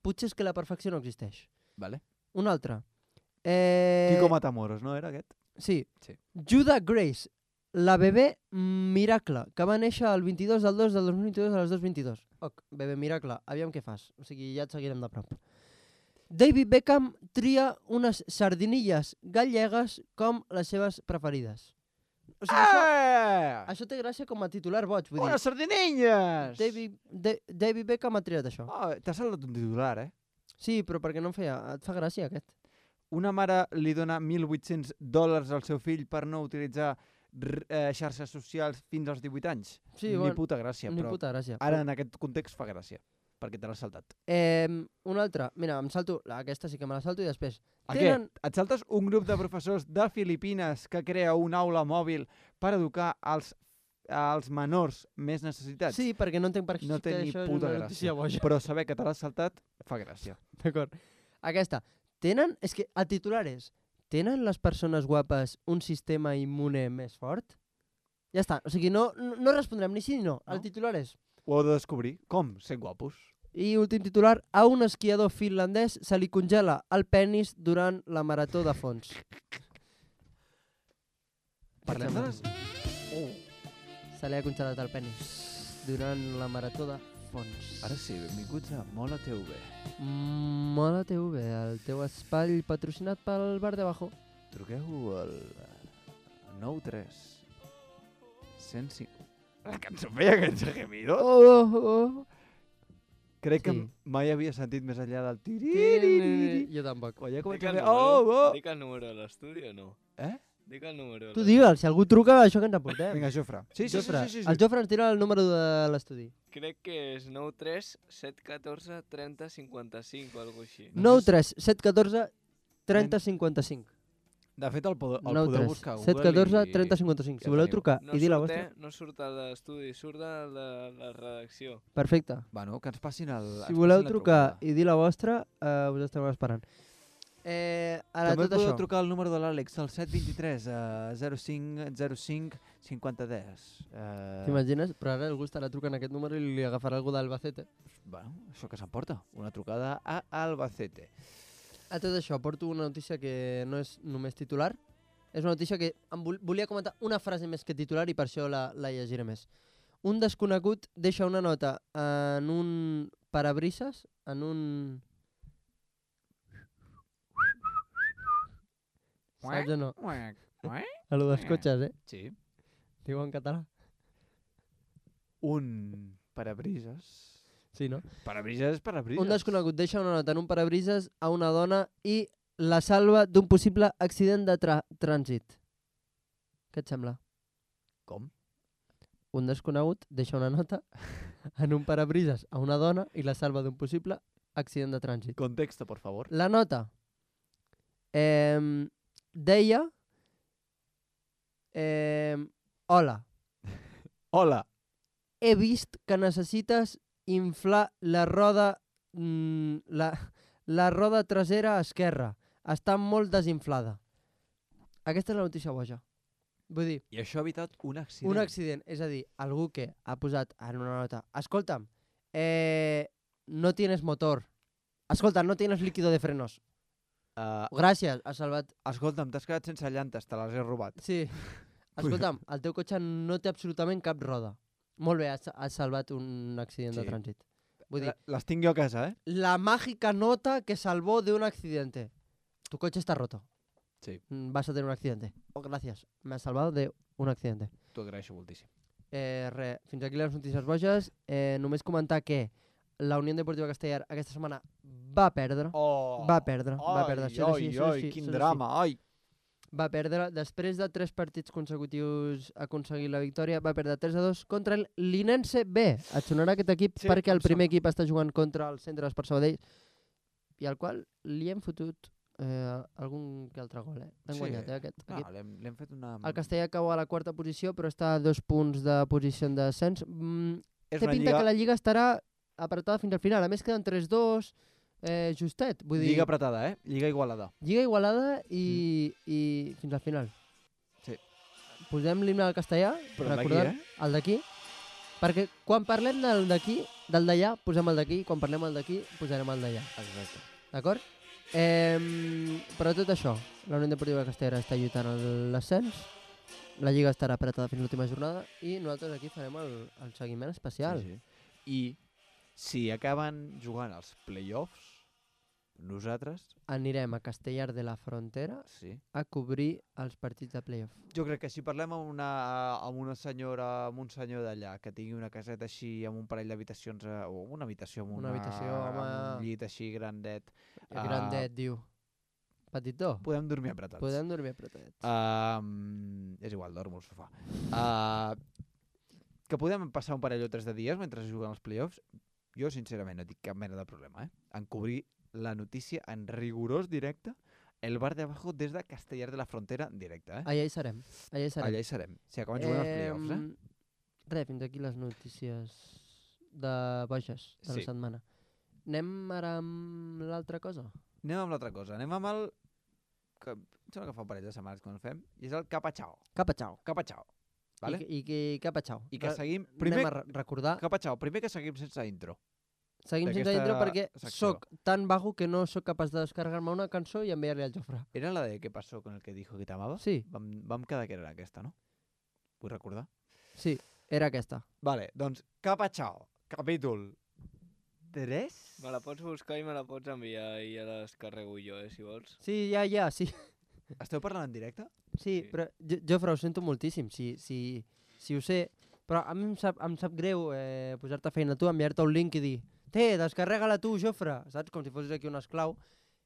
potser és que la perfecció no existeix. Vale. Un altre. Eh... Kiko Matamoros, no era aquest? Sí. Sí. Judah Grace, la bebè miracle, que va néixer el vint-i-dos del dos del dos mil vint-i-dos a les dos vint-i-dos. Ok, bebè miracle, aviam què fas. O sigui, ja et seguirem de prop. David Beckham tria unes sardinilles gallegues com les seves preferides. O sigui, això, Eh! això té gràcia com a titular boig. Vull Unes dir, sardinilles! David, da David Beckham ha triat això. Oh, t'ha saltat un titular, eh? Sí, però perquè no em feia... Et fa gràcia, aquest. Una mare li dona mil vuit-cents dòlars al seu fill per no utilitzar r- eh, xarxes socials fins als divuit anys. Sí, Ni bueno, puta gràcia, Ni però puta gràcia. ara en aquest context fa gràcia, perquè te l'has saltat. Eh, un altre. Mira, em salto... Aquesta sí que me la salto i després... A què? Et saltes un grup de professors de Filipines que crea una aula mòbil per educar als, als menors més necessitats? Sí, perquè no entenc per què No té ni això és puta una gràcia. notícia boja. Però saber que te l'has saltat fa gràcia. D'acord. Aquesta. Tenen... És que el titular és... Tenen les persones guapes un sistema immune més fort? Ja està. O sigui, no, no, no respondrem ni sí ni no. El No? titular és... Ho heu de descobrir. Com? Sent guapos. I últim titular. A un esquiador finlandès se li congela el penis durant la marató de fons. Parlem de les... Oh. Se li ha congelat el penis durant la marató de fons. Ara sí, benvinguts a Mola T V. Mola T V, el teu espai patrocinat pel Bar de Bajo. Truqueu al nou tres cent cinc... La cançó feia aquests gemidos? Oh, oh, oh. Crec que Sí. mai havia sentit més enllà del tiri. Jo tampoc. Quan ja Dic comença a el fer... número, Oh, oh! dic el número de l'estudi o no? Eh? Dic el número de Tu l'estudi. digue'l, si algú truca, això que ens aportem. Vinga, Jofre. Sí, sí, sí, Jofre, sí, sí, sí. El Jofre ens tira el número de l'estudi. Crec que és nou tres set un quatre trenta cinquanta-cinc o alguna així. nou tres set un quatre trenta cinquanta cinc. De fet, el, pod el nou podeu tres buscar a set Google un quatre i... trenta cinquanta cinc. ja Si voleu teniu. trucar No i dir la surt, vostra... eh? No surt de l'estudi, surt de la, la redacció. Perfecte. Bueno, que ens passin el... Si voleu trucar i dir la vostra, uh, us estem esperant. Eh, ara També tot podeu això. trucar al número de l'Àlex, el set dos tres uh, zero cinc zero cinc cinquanta deu. Uh, T'imagines? Però ara algú estarà trucant aquest número i li agafarà algú d'Albacete. bueno, això que s'emporta, una trucada a Albacete. A tot això, porto una notícia que no és només titular. És una notícia que em vol volia comentar una frase més que titular i per això la, la llegiré més. Un desconegut deixa una nota en un parabrises, en un... Saps o no? A lo dels cotxes, eh? Sí. Diu en català. Un parabrises... Sí, no? Parabrises és parabrises. Un desconegut deixa una nota en un parabrises a una dona i la salva d'un possible accident de tra trànsit. Què et sembla? Com? Un desconegut deixa una nota en un parabrises a una dona i la salva d'un possible accident de trànsit. Contexto, por favor. La nota eh, deia eh, hola, Hola. he vist que necessites inflar la roda mm, la, la roda trasera esquerra. Està molt desinflada. Aquesta és la notícia boja. Vull dir, I això ha evitat un accident. un accident, és a dir, algú que ha posat en una nota, escolta'm, eh, no tienes motor, escolta, no tienes líquido de frenos. Uh, Gràcies, has salvat... escolta'm, t'has quedat sense llantes, te les he robat. Sí, escolta'm, el teu cotxe no té absolutament cap roda. Molt bé, has, has salvat un accident Sí. de trànsit. Vull dir, Les tinc jo a casa, eh? la mágica nota que salvó de un accidente. Tu coche está roto. Sí. Mm, Vas a tener un accidente. Oh, gracias. Me has salvado de un accidente. T'ho agraeixo moltíssim. Eh, re, fins aquí les notícies boges. Eh, només comentar que la Unió Deportiva Castellar aquesta setmana va perdre. Oh! Va perdre, va perdre. Això és així, Ai, això és ai, així, quin això és drama, ai! Va perdre, després de tres partits consecutius aconseguir la victòria, va perdre tres a dos contra el Linense B. Et sonarà aquest equip Sí, perquè el em primer sona. equip està jugant contra el Centre d'Esport Sabadell i al qual li hem fotut eh, algun que altre gol. Eh? L'hem Sí. guanyat, eh, aquest No, equip. l'hem l'hem fet una... El Castellà cau a la quarta posició, però està a dos punts de posició de descens. Mm, és té una pinta lliga... que la Lliga estarà apretada fins al final. A més, queden tres dos, eh, justet. Vull dir, Lliga apretada, eh? Lliga igualada. Lliga igualada i, mm. i fins al final. Sí. Posem l'himne al castellà, Però el d'aquí, recordant eh? el d'aquí, perquè quan parlem del d'aquí, del d'allà, posem el d'aquí, quan parlem el d'aquí, posarem el d'allà. Exacte. D'acord? Eh, però tot això, la Unió Deportiva Castellera està lluitant a l'ascens, la Lliga estarà apretada fins l'última jornada i nosaltres aquí farem el, el seguiment especial. Sí, sí. I si acaben jugant els play-offs, nosaltres... Anirem a Castellar de la Frontera Sí. a cobrir els partits de playoff. Jo crec que si parlem amb una, amb una senyora, amb un senyor d'allà, que tingui una caseta així, amb un parell d'habitacions, eh, o una habitació amb, Una una, habitació, amb home. un llit així grandet, El grandet, diu. Petitó. podem dormir apretats. Podem dormir apretadets. Uh, és igual, dormo al sofà. Uh, que podem passar un parell o tres de dies mentre es juguen els play-offs, jo sincerament no tinc cap mena de problema, eh? En cobrir la notícia en rigorós directe, el bar de abajo des de Castellar de la Frontera en directe, eh? Allà hi serem. Allà hi serem. Allà hi serem. Si acaben jugant els play-offs, eh? Res, fins aquí les notícies de boges de Sí. la setmana. Anem ara amb l'altra cosa? Anem amb l'altra cosa. Anem amb el... Que... Em sembla que fa un parell de setmanes que no el fem. I és el Capachao. Capachao. Capachao. Vale? I, i, i Capachao. I que Re- seguim... Anem Primer, a re- recordar. Capachao, primer que seguim sense intro. Seguim sense d'aquesta intro perquè secció. sóc tan vago que no sóc capaç de descarregar-me una cançó i enviar-li al Jofre. Era la de ¿Qué pasó con el que dijo que te amaba? Sí, Vam, vam quedar que era aquesta, no? Vull recordar. sí, era aquesta. Vale, doncs Capachao, capítol tres. Me la pots buscar i me la pots enviar i ja la descarrego jo, eh, si vols. Sí, ja, ja, sí. Esteu parlant en directe? Sí, Sí. però Jo- Jofre, ho sento moltíssim, si, si, si ho sé, però a mi em sap, em sap greu eh, posar-te feina a tu, enviar-te un link i dir té, descarrega-la tu, Jofre, saps? Com si fossis aquí un esclau.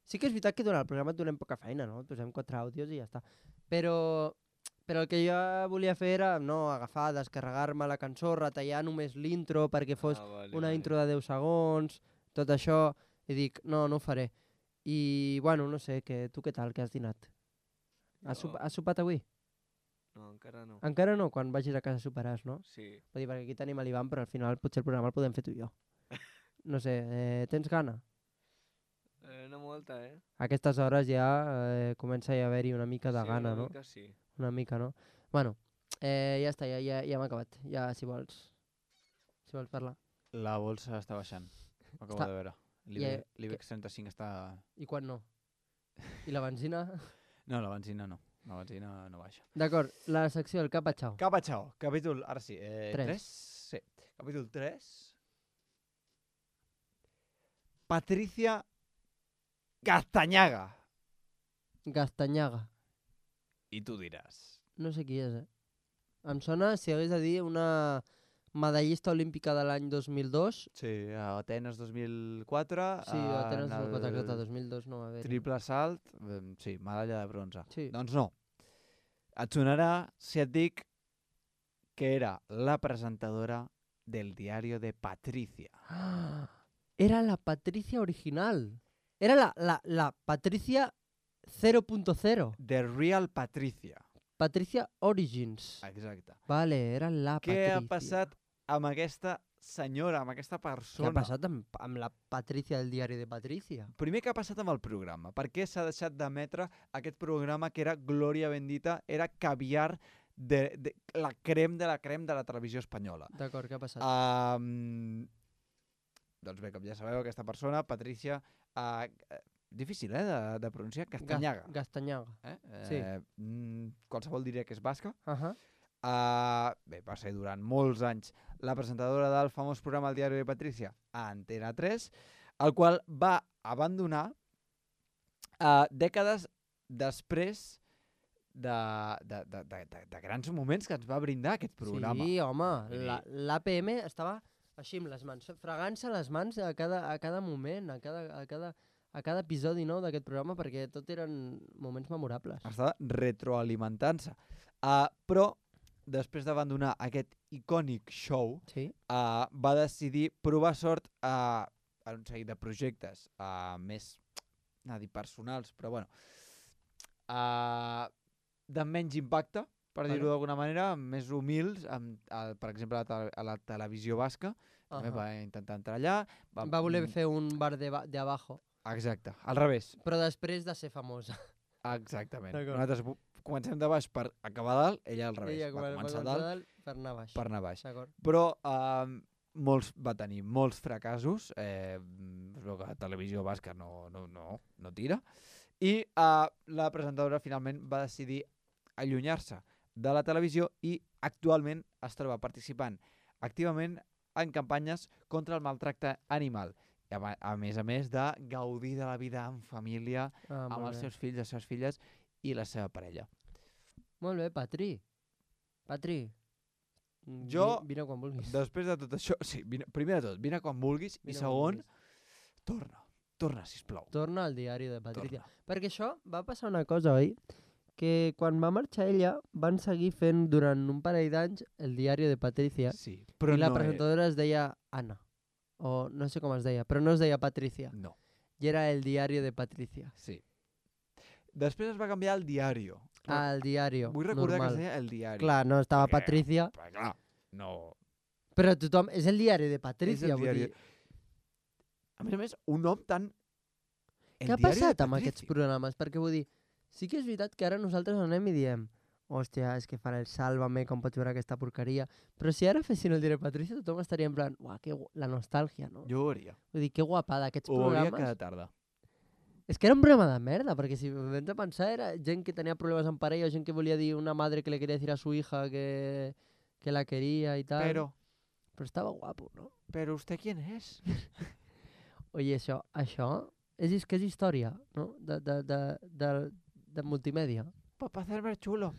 Sí que és veritat que durant el programa et donem poca feina, no? Et posem quatre àudios i ja està. Però, però el que jo volia fer era no, agafar, descarregar-me la cançó, retallar només l'intro perquè fos Ah, vale, una vale. intro de deu segons, tot això, i dic, no, no ho faré. I, bueno, no sé, que, tu què tal, que has dinat? Has, Jo- sopa, has sopat avui? No, encara no. Encara no, quan vagis a casa soparàs, no? Sí. Vull dir, perquè aquí tenim l'Ivan, però al final potser el programa el podem fer tu i jo. No sé, eh, tens gana? Eh, no molta, eh? A aquestes hores ja eh, comença a haver-hi una mica de sí, gana, una no? mica sí. Una mica, no? Bueno, eh, ja està, ja, ja, ja hem acabat. Ja, si vols, si vols parlar. La bolsa està baixant. Ho acabo Està- de veure. I, L'Ibex eh, l'Ibex trenta-cinc està... I quan no? I la benzina? No, la benzina no. La benzina no baixa. D'acord, la secció del Capachao. Capachao, capítol... Ara sí. Eh, Tres. tres? Sí. Capítol tres. Patricia Castañaga. Gastanyaga. I tu diràs. No sé qui és, eh? Em sona, si hagués de dir, una medallista olímpica de l'any dos mil dos. Sí, a Atenes dos mil quatre. Sí, a Atenes en dos mil quatre, el exacte, dos mil dos no va haver. Triple salt, eh, sí, medalla de bronze. Sí. Doncs no. Et sonarà si et dic que era la presentadora del diario de Patricia. Ah, era la Patricia original. Era la, la, la Patricia cero punto cero. The Real Patricia. Patricia Origins. Exacte. Vale, era la Què Patricia. ha passat amb aquesta senyora, amb aquesta Què persona? ha passat amb, amb la Patricia del diari de Patricia? Primer, què ha passat amb el programa? Per què s'ha deixat d'emetre aquest programa que era Glòria Bendita, era caviar de, de la crem de la crem de la televisió espanyola? D'acord, què ha passat? Um, doncs bé, com ja sabeu, aquesta persona, Patricia, uh, difícil, eh, de, de pronunciar, Castanyaga. Gas- Gastanyaga. Eh? sí. Eh, mm, qualsevol diria que és basca. Uh -huh. Uh, bé, va ser durant molts anys la presentadora del famós programa El diari de Patricia a Antena tres, el qual va abandonar uh, dècades després de, de, de, de, de, de grans moments que ens va brindar aquest programa. Sí, home, Vull dir- la- l'A P M estava així amb les mans, fregant-se les mans a cada, a cada moment, a cada, a cada, a cada episodi nou d'aquest programa, perquè tot eren moments memorables. Estava retroalimentant-se. Uh, però, després d'abandonar aquest icònic show, Sí? uh, va decidir provar sort uh, en un seguit de projectes uh, més, no dir personals, però bueno, uh, de menys impacte, per Vale. dir-ho d'alguna manera, més humils, amb, a, per exemple, a la, tele- a la televisió basca, també Ahà. va intentar entrar allà. Va, Va voler mm, fer un bar de, ba- de abajo, Exacte, al revés. però després de ser famosa. Exactament. D'acord. Nosaltres bu- comencem de baix per acabar dalt, ella al revés. Ella va quan va començar començar dalt dalt per anar baix. per anar baix. D'acord. Però eh, molts, va tenir molts fracassos, eh, es veu que la televisió basca no, no, no, no tira, i eh, la presentadora finalment va decidir allunyar-se de la televisió i actualment es troba participant activament en campanyes contra el maltracte animal. I a, ma- a més a més de gaudir de la vida en família, Ah, amb molt els bé. seus fills, les seves filles i la seva parella. Molt bé, Patri. Patri. mm, Jo, vi- Vine quan vulguis. Després de tot això, sí, vine, primer de tot, vine quan vulguis, Vine i quan segon, vulguis. torna, torna, sisplau. Torna al diari de Patricia. Torna. Perquè això va passar una cosa, oi? Que quan va marxar ella van seguir fent durant un parell d'anys el diari de Patricia Sí, però i la no presentadora es deia Anna. O no sé com es deia, però no es deia Patricia. és... No, I era el diari de Patricia. sí. Després es va canviar al diario. Ah, el diari. Vull recordar normal. que es deia el diari. Clar, no estava Perquè- Patricia, Però clar, no... però tothom... És el diari de Patricia, vull diari. dir... A més a més, un nom tan... El Què ha diari de passat amb aquests Patricia. programes? Perquè vull dir, sí que és veritat que ara nosaltres anem i diem hòstia, és que fan el Sálvame, com pots veure aquesta porqueria. Però si ara fessin el diari de Patricia, tothom estaria en plan, uah, que gu... la nostàlgia, no? Jo ho hauria. Vull dir, que guapada, aquests Ho hauria programes... cada tarda. És que era un programa de merda, perquè si vens a pensar era gent que tenia problemes amb parella, gent que volia dir una madre que le quería decir a su hija que, que la quería y tal. Però, Però estava guapo, no? però usted quién és? Oye, això, això és, és que és història, no? De, de, de, de, de multimèdia. Papá hacerme chulo.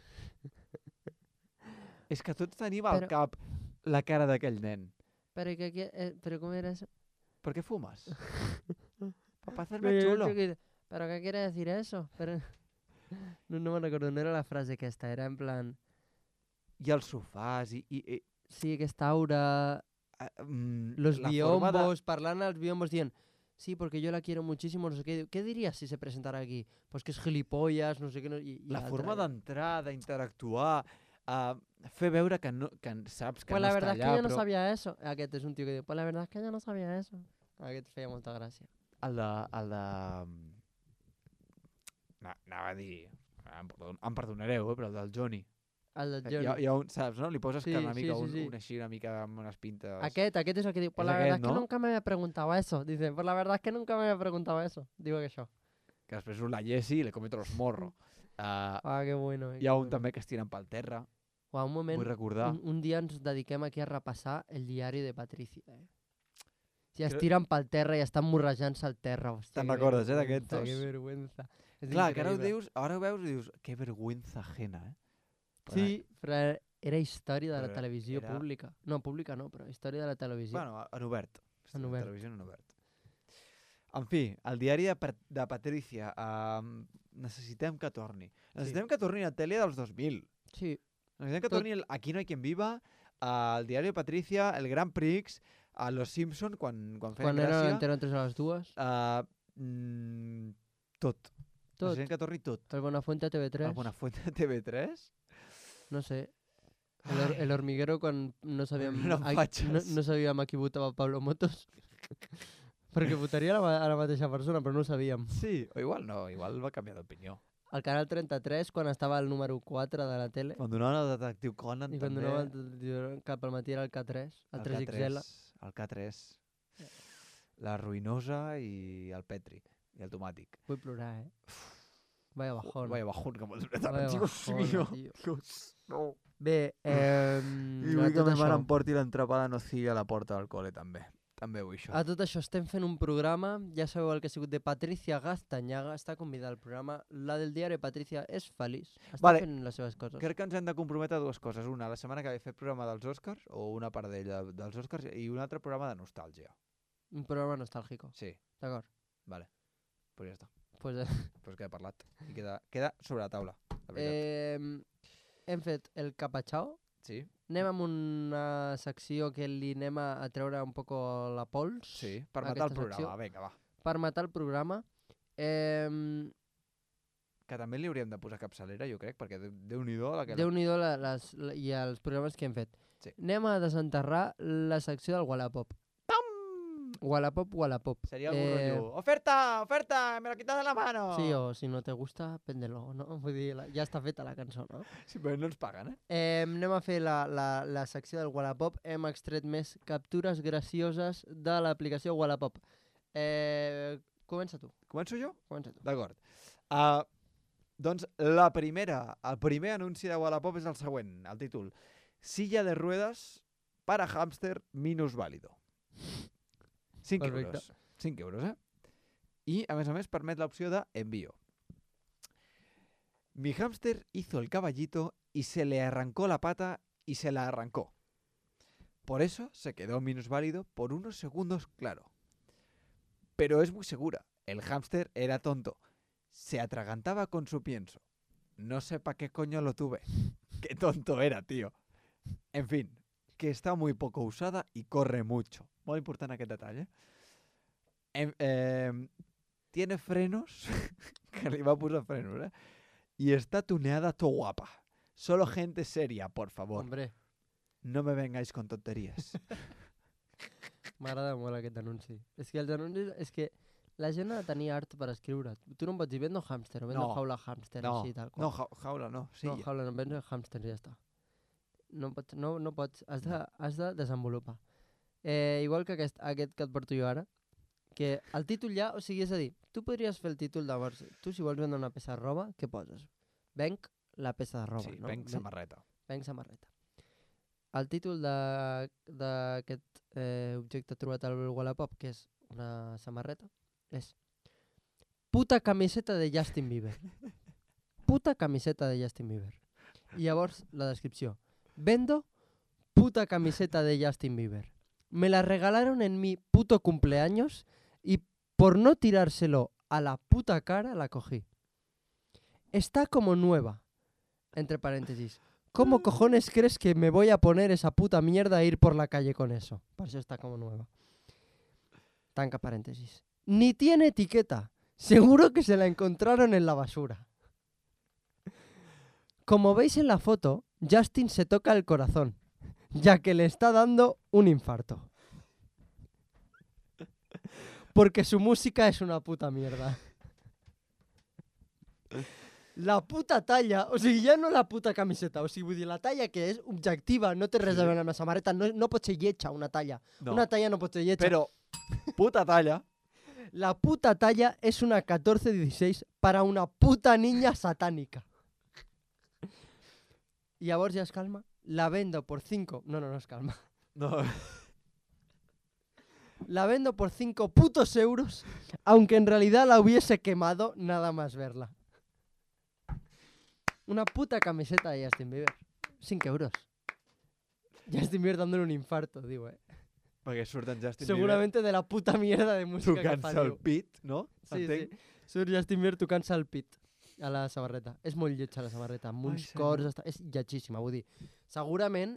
És que tots tenim al Però- cap la cara d'aquell nen. Però, que, que, eh, però com era eso? ¿Por qué fumas? Papá hacerme Pero, chulo. que- ¿Pero qué quiere decir eso? Pero... No, no me'n recordo, no era la frase aquesta, era en plan... I els sofàs i... i, i Sí, aquesta aura... uh, mm, Los la forma de- biombos, parlant als biombos dient sí, porque yo la quiero muchísimo, no sé qué. ¿Qué dirías si se presentara aquí? Pues que es gilipollas, no sé qué. No, i, i La l'altre forma era- d'entrar, d'interactuar, uh, fer veure que, no, que en- saps que Pues no la està verdad es allà, que ella no però sabía eso. Aquest és un tio que diu, pues la verdad es que ella no sabía eso. Aquest feia molta gràcia. el de... El de... Na, anava a dir... Em, perdon, em perdonareu, eh, però el del Johnny. El del Hi ha, Johnny. hi ha un, saps, no? Li poses Sí, que una sí, mica, sí, un, sí. un així, una mica amb unes pintes... Aquest, aquest és el que diu, pues És la verdad aquest, es que no? nunca me había preguntado eso. Dice, pues la verdad es que nunca me había preguntado eso. Diu que això. Que després surt la Jessie i le comete los morros. Uh, Ah, que bueno. eh, hi ha que un bueno. també que es tiren pel terra. Uau, un moment, Vull recordar. un, un dia ens dediquem aquí a repassar el diari de Patricia. Eh? Si es Creo- tiren pel terra i estan morrejant-se al terra. Hòstia, Te'n que recordes, eh, vergüenza, d'aquests dos? Que vergüenza. És Clar, que ara ho increïble. dius, ara ho veus i dius, que vergüenza ajena, eh? Però, Sí, però era història de la Però televisió era- pública. No, pública no, però història de la televisió. Bueno, en obert. En La obert. Televisió en obert. En fi, el diari de, Pa- de Patricia. Um, necessitem que torni. Necessitem que torni a tele dels dos mil. Sí, Necessitem que Tot- torni el Aquí no hay quien viva, el diari de Patricia, el Grand Prix, a Los Simpson quan, quan feien quan era gràcia. l'Antena tres a les dues. Uh, mm, tot. Tot. Necessitem que torni tot. El Bonafuente a T V tres. El Bonafuente de T V tres. No sé. El, hor- el hormiguero quan no sabíem, Eren a, no, fatxes. no sabíem a qui votava Pablo Motos. Perquè votaria a la, ma- a la mateixa persona, però no ho sabíem. Sí, o igual no, igual va canviar d'opinió. El canal trenta-tres, quan estava el número quatre de la tele, Quan donaven el detectiu Conan i quan també... donava el, el, cap al matí era el K tres, el, tres X L. El K tres. La ruïnosa i el Petri. I el tomàtic. Vull plorar, eh? Vaya bajón. Vaya bajón que m'has Vaya Dios bajona, mío. tio. Dios, no. Bé, eh, I a vull que tot ma mare això, em porti l'entrapada nocilla a la porta del col·le també. També vull això. a tot això estem fent un programa, ja sabeu el que ha sigut de Patricia Gastañaga, està convidada al programa, la del diari Patricia és feliç, està Vale. fent les seves coses. Crec que ens hem de comprometre a dues coses. Una, la setmana que ve fer programa dels Oscars, o una part d'ella dels Oscars, i un altre programa de nostàlgia. Un programa nostàlgico, Sí, d'acord. vale. Pues ja està. Pues, eh, Pues queda parlat. I queda, queda sobre la taula, la veritat. eh, hem fet el capatxao, Sí, anem amb una secció que li anem a, a treure un poco la pols. sí. Per a matar el aquesta secció. programa. Vinga, va. Per matar el programa. Eh, que també li hauríem de posar capçalera, jo crec, perquè de- Déu-n'hi-do la que... Déu-n'hi-do la, les, la, i els programes que hem fet. Sí. Anem a desenterrar la secció del Wallapop. Pam! Wallapop, Wallapop. Seria algun eh... rotllo. Oferta, oferta, me lo quitas de la mano. Sí, o si no te gusta, péndelo, no? Vull dir, la, ja està feta la cançó, no? Sí, però no ens paguen, eh? Eh, anem a fer la, la, la secció del Wallapop. Hem extret més captures gracioses de l'aplicació Wallapop. Eh, comença tu, Començo jo? comença tu. D'acord. Uh, doncs la primera, el primer anunci de Wallapop és el següent, el títol. Silla de ruedas para hámster minusválido. cinc Perfecte. euros. cinc euros, eh? I, a més a més, permet l'opció de envío. Mi hámster hizo el caballito y se le arrancó la pata y se la arrancó. Por eso se quedó minusválido por unos segundos, claro. Pero es muy segura. El hámster era tonto. Se atragantaba con su pienso. No sé para qué coño lo tuve. Qué tonto era, tío. En fin, que está muy poco usada y corre mucho. Muy importante aquest detall, eh? Em, eh tiene frenos, que le va a posar frenos, eh? Y está tuneada to guapa. Solo gente seria, por favor. Hombre, No me vengáis con tonterías. m'agrada molt aquest anunci. És que els anuncis... És que la gent ha de tenir art per escriure. Tu no em pots dir vendo hámster o vendo No. jaula hámster, No, així tal qual. no, ja- jaula no. Sí, no, jaula no, vendo hámster i ja està. No pots, no, no pots, has de, has de desenvolupar. Eh, igual que aquest, aquest que et porto jo ara, que el títol ja, o sigui, és a dir, tu podries fer el títol de vers, tu si vols vendre una peça de roba, què poses? Venc la peça de roba, sí, no? venc samarreta. Venc samarreta. El títol de- d'aquest eh, objecte trobat al Wallapop, que és una samarreta, és puta camiseta de Justin Bieber. Puta camiseta de Justin Bieber. I llavors la descripció. Vendo puta camiseta de Justin Bieber. Me la regalaron en mi puto cumpleaños y por no tirárselo a la puta cara la cogí. Está como nueva. Entre paréntesis. ¿Cómo cojones crees que me voy a poner esa puta mierda a ir por la calle con eso? Por eso está como nueva. Tanca paréntesis. Ni tiene etiqueta. Seguro que se la encontraron en la basura. Como veis en la foto, Justin se toca el corazón, ya que le está dando un infarto. Porque su música es una puta mierda. La puta talla, o sigui, ja no la puta camiseta, o sigui, vull dir, la talla que és objectiva, no té res a veure amb la samarreta, no, no pot ser lletja una talla. No. Una talla no pot ser lletja. Però, puta talla, La puta talla es una catorce dieciséis para una puta niña satánica. Y llavors ja es calma. La vendo por cinco... No, no, no es calma. no, La vendo por cinco putos euros, aunque en realidad la hubiese quemado nada más verla. Una puta camiseta de Justin Bieber. cinco euros. Justin Bieber dándole un infarto, digo, eh. perquè surt en Justin Seguramente de la puta mierda de Bieber música que fa, tocant-se el diu. pit, no? Sí, Entenc? sí. Surt Justin Bieber tocant-se el pit a la samarreta. És molt lletja la samarreta, amb Ai, uns senyor. cors... Està... És lletjíssima, vull dir. Segurament,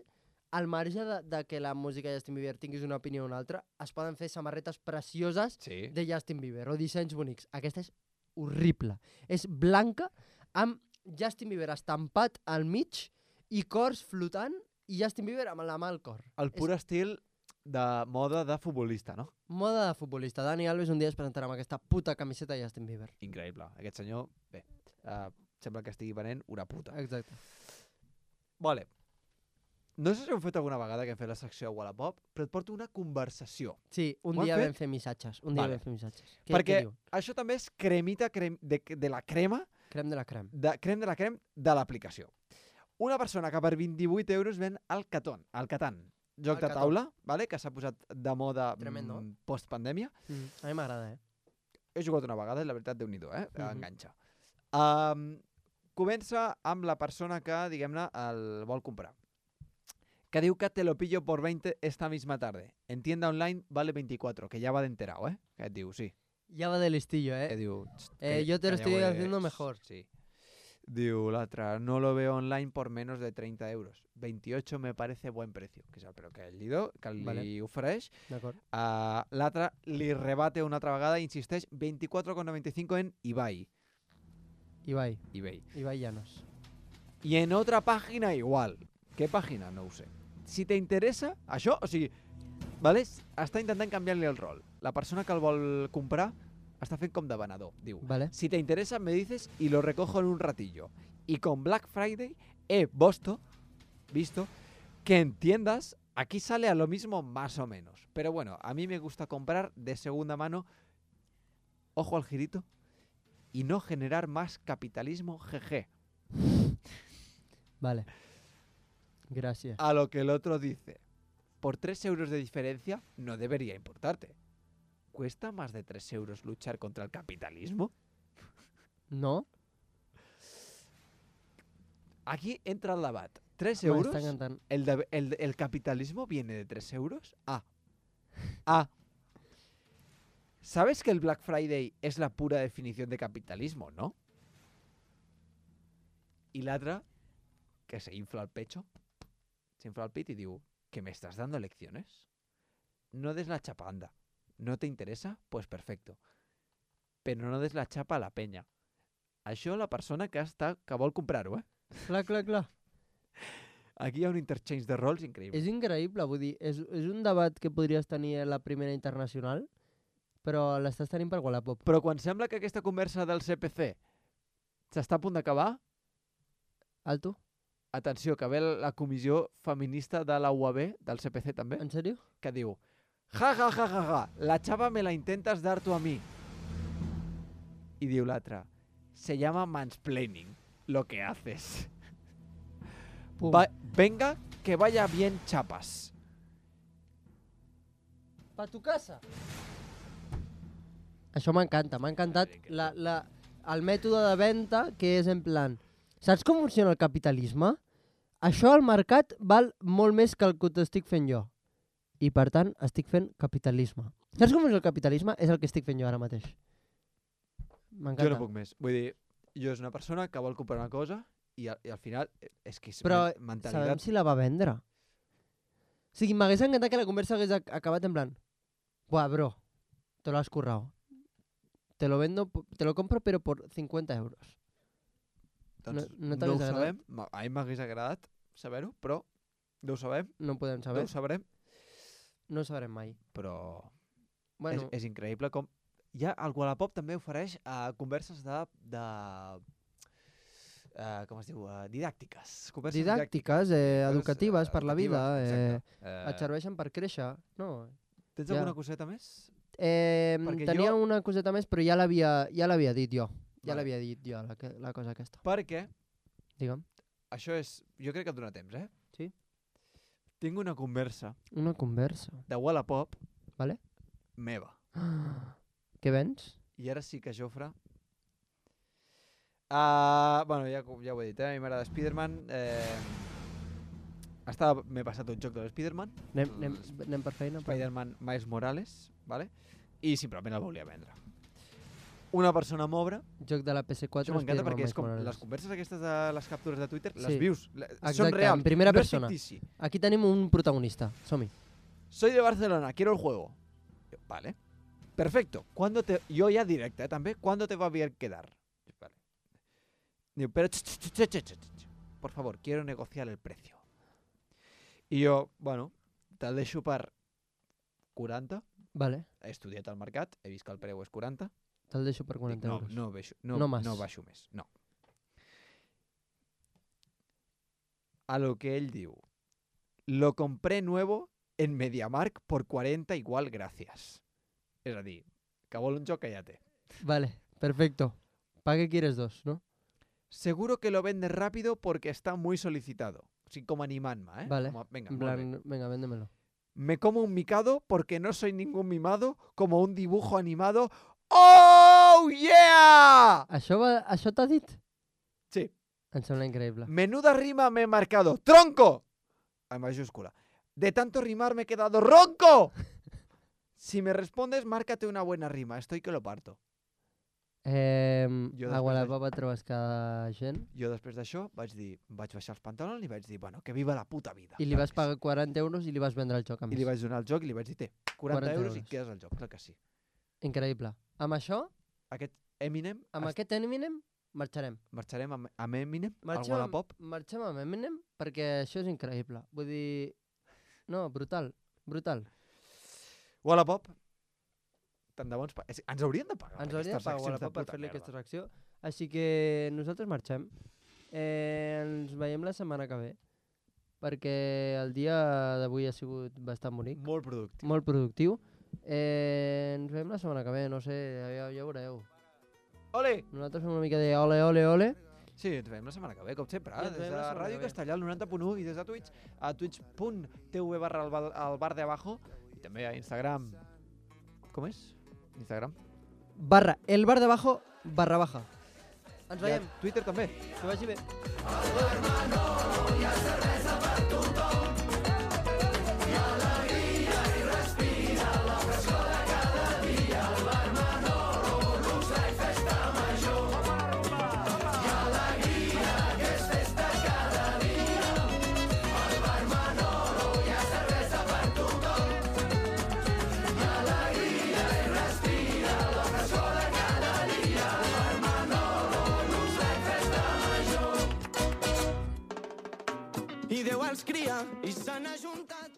al marge de, de que la música de Justin Bieber tinguis una opinió o una altra, es poden fer samarretes precioses Sí. de Justin Bieber o dissenys bonics. Aquesta és horrible. És blanca amb Justin Bieber estampat al mig i cors flotant i Justin Bieber amb la mà al cor. El pur estil de moda de futbolista, no? Moda de futbolista. Dani Alves un dia es presentarà amb aquesta puta camiseta de Justin Bieber. Increïble. Aquest senyor, bé, uh, sembla que estigui venent una puta. Exacte. Vale. No sé si heu fet alguna vegada que hem fet la secció Wallapop, però et porto una conversació. Sí, un Ho han dia fet? vam fer missatges. Un dia Vale. vam fer missatges. Què, Perquè què diu? això també és cremita crem, de, de la crema, Crem de la crem. de crem de la crem de l'aplicació. Una persona que per vint-i-vuit euros ven el Catan, el Catan, joc El de Cató. taula, vale? Que s'ha posat de moda Tremendo. mm, post-pandèmia. Mm. A mi m'agrada, eh? He jugat una vegada i la veritat, Déu-n'hi-do, eh? Mhm. Enganxa. Um, comença amb la persona que, diguem-ne, el vol comprar. Que diu que te lo pillo por veinte esta misma tarde. En tienda online vale veinticuatro, que ya va de enterado, eh? Que et diu, sí. Ya va de listillo, Que eh? diu... Eh, yo te lo estoy haciendo mejor. Sí. Diu l'altre, no lo veo online por menos de treinta euros. veintiocho me parece buen precio. Que és el preu que ell li, do, que li Vale. ofereix. D'acord. Uh, l'altre li rebate una altra vegada i insisteix veinticuatro con noventa y cinco en Ibai. Ibai. eBay. Ibai Llanos. Y en otra página igual. ¿Qué página? No ho sé. Si te interessa, això, o sigui, vale? Està intentant canviar-li el rol. La persona que el vol comprar està fent com de venedor. Diu, Vale. si te interesa me dices y lo recojo en un ratillo. Y con Black Friday he visto, visto que en tiendas aquí sale a lo mismo más o menos. Pero bueno, a mí me gusta comprar de segunda mano, ojo al girito, y no generar más capitalismo, jeje. Vale. Gracias. A lo que el otro dice, por tres euros de diferencia no debería importarte. ¿Cuesta más de tres euros luchar contra el capitalismo? No? Aquí entra el debat. ¿Tres M'està euros? encantant. ¿El, de- el, ¿El capitalismo viene de tres euros? A. A. ¿Sabes que el Black Friday es la pura definición de capitalismo, no? Y la otra, que se infla el pecho, se infla el pit y digo, ¿que me estás dando lecciones? No des la chapa, anda. ¿No te interesa? Pues perfecto. Pero no des la chapa a la penya. Això la persona que està que vol comprar-ho, eh? Clar, clar, clar. Aquí hi ha un interchange de rols increïble. És increïble, vull dir, és, és un debat que podries tenir a la primera internacional, però l'estàs tenint per Wallapop. Però quan sembla que aquesta conversa del C P C s'està a punt d'acabar, Alto? atenció, que ve la comissió feminista de la U A B, del C P C també, En sèrio? que diu ja, ja, ja, ja, ja, la chava me la intentas dar tú a mí. Y diu l'altra, se llama mansplaining, lo que haces. Pum. Va, venga, que vaya bien chapas. Pa tu casa. Això m'encanta, m'ha encantat la, la, el mètode de venda que és en plan, saps com funciona el capitalisme? Això al mercat val molt més que el que t'estic fent jo. I per tant, estic fent capitalisme. Saps com és el capitalisme? És el que estic fent jo ara mateix. M'encanta. Jo no puc més. Vull dir, jo és una persona que vol comprar una cosa i, al, i al final és que és Però men- sabem mentalitat. si la va vendre. O sigui, m'hagués encantat que la conversa hagués ac- acabat en plan, buah, bro, te lo has currado. Te lo vendo, po- te lo compro pero por cincuenta euros. Doncs no- no no, t'hagués ho agradat? sabem. Ma- A mi m'hagués agradat saber-ho, però no ho sabem, No ho podem no saber. ho sabrem, No ho sabrem mai. però Bueno, és, és increïble com... Ja el Wallapop també ofereix uh, converses de... de uh, com es diu? Uh, didàctiques. Converses didàctiques, eh, educatives eh, per la vida, eh, exacte. Eh, et serveixen per créixer. No. Tens ja. alguna coseta més? Eh, Perquè tenia jo- una coseta més, però ja l'havia ja l'havia dit jo. Ja Vale. l'havia dit jo, la, que- la cosa aquesta. Perquè Digue'm. això és... Jo crec que et dona temps, eh? Sí. Tinc una conversa Una conversa. de Wallapop Vale? meva. Què vens? I ara sí que Jofre... Uh, bueno, ja, ja ho he dit, eh? A mi m'agrada Spider-Man. Eh, estava, m'he passat un joc de l'Spider-Man, Anem, anem, anem per feina? Per... Spider-Man Miles Morales, vale? I simplement el volia vendre. Una persona m'obre, Joc de la P S quatre. això m'encanta Spider-Man perquè és Miles com Morales. les converses aquestes de les captures de Twitter, les Sí. vius, le- Exacte, són reals, en primera no persona. és fictici. Aquí tenim un protagonista. Som-hi. Soy de Barcelona, quiero el juego. Yo, vale. Perfecto. ¿Cuándo te... Yo ya directa, ¿eh? También. ¿Cuándo te va a bien quedar? Yo, vale. Digo, pero... ch, ch, ch, ch, ch, ch. Por favor, quiero negociar el precio. I jo, bueno, te'l deixo per quaranta. Vale. He estudiat al mercat, he vist que el preu és quaranta. Te'l deixo per Dic, quaranta no, euros. no, baixo, no, No más. no baixo més. No. A lo que ell diu. Lo compré nuevo en MediaMarkt por cuarenta igual gracias. És a dir, que vol un joc que ja té. Vale, perfecto. ¿Para qué quieres dos, no? Seguro que lo vendes rápido porque está muy solicitado. O sigui, com animant-me, eh? Vale. Com a, venga, En molt bé. plan, venga, véndemelo. Me como un micado porque no soy ningún mimado como un dibujo animado. ¡Oh, yeah! Això, va, això t'ha dit? Sí. Em sembla increïble. Menuda rima me he marcado. ¡Tronco! En mayúscula. De tanto rimar me he quedado ronco. Si me respondes, márcate una buena rima. Estoy que lo parto. Eh, Jo a després Wallapop et trobes cada gent Jo després d'això vaig dir, vaig baixar els pantalons i vaig dir, bueno, que viva la puta vida. i li vas Saps? pagar quaranta euros i li vas vendre el joc a I més. li vaig donar el joc i li vaig dir, té, quaranta, quaranta euros i euros. quedes el joc, clar que sí. Increïble. Amb això, Aquest Eminem... amb es- aquest Eminem, marxarem. Marxarem amb, amb Eminem al Marxem, Wallapop. marxem amb Eminem perquè això és increïble. Vull dir... No, brutal, brutal. Wallapop. Tant de bons... Pa... és- Ens haurien de pagar. Ens per hauria de aquestes pagar accions Wallapop per puta fer-li merda. aquesta secció. Així que nosaltres marxem. Eh, ens veiem la setmana que ve. Perquè el dia d'avui ha sigut bastant bonic. Molt productiu. Molt productiu. Eh, ens veiem la setmana que ve, no sé, ja, ja veureu. Ole! Nosaltres fem una mica de ole, ole, ole. Sí, ens veiem la setmana que ve, com sempre. I ens Des veiem de la setmana Ràdio que ve. Castellà, al noranta punt u, i des de Twitch, a twitch.tv barra el bar, el bar de abajo, i també a Instagram. Com és? Instagram. Barra, el bar de abajo, barra baja. Ens I a veiem, Twitter també. que vagi bé. I Déu els cria i s'han ajuntat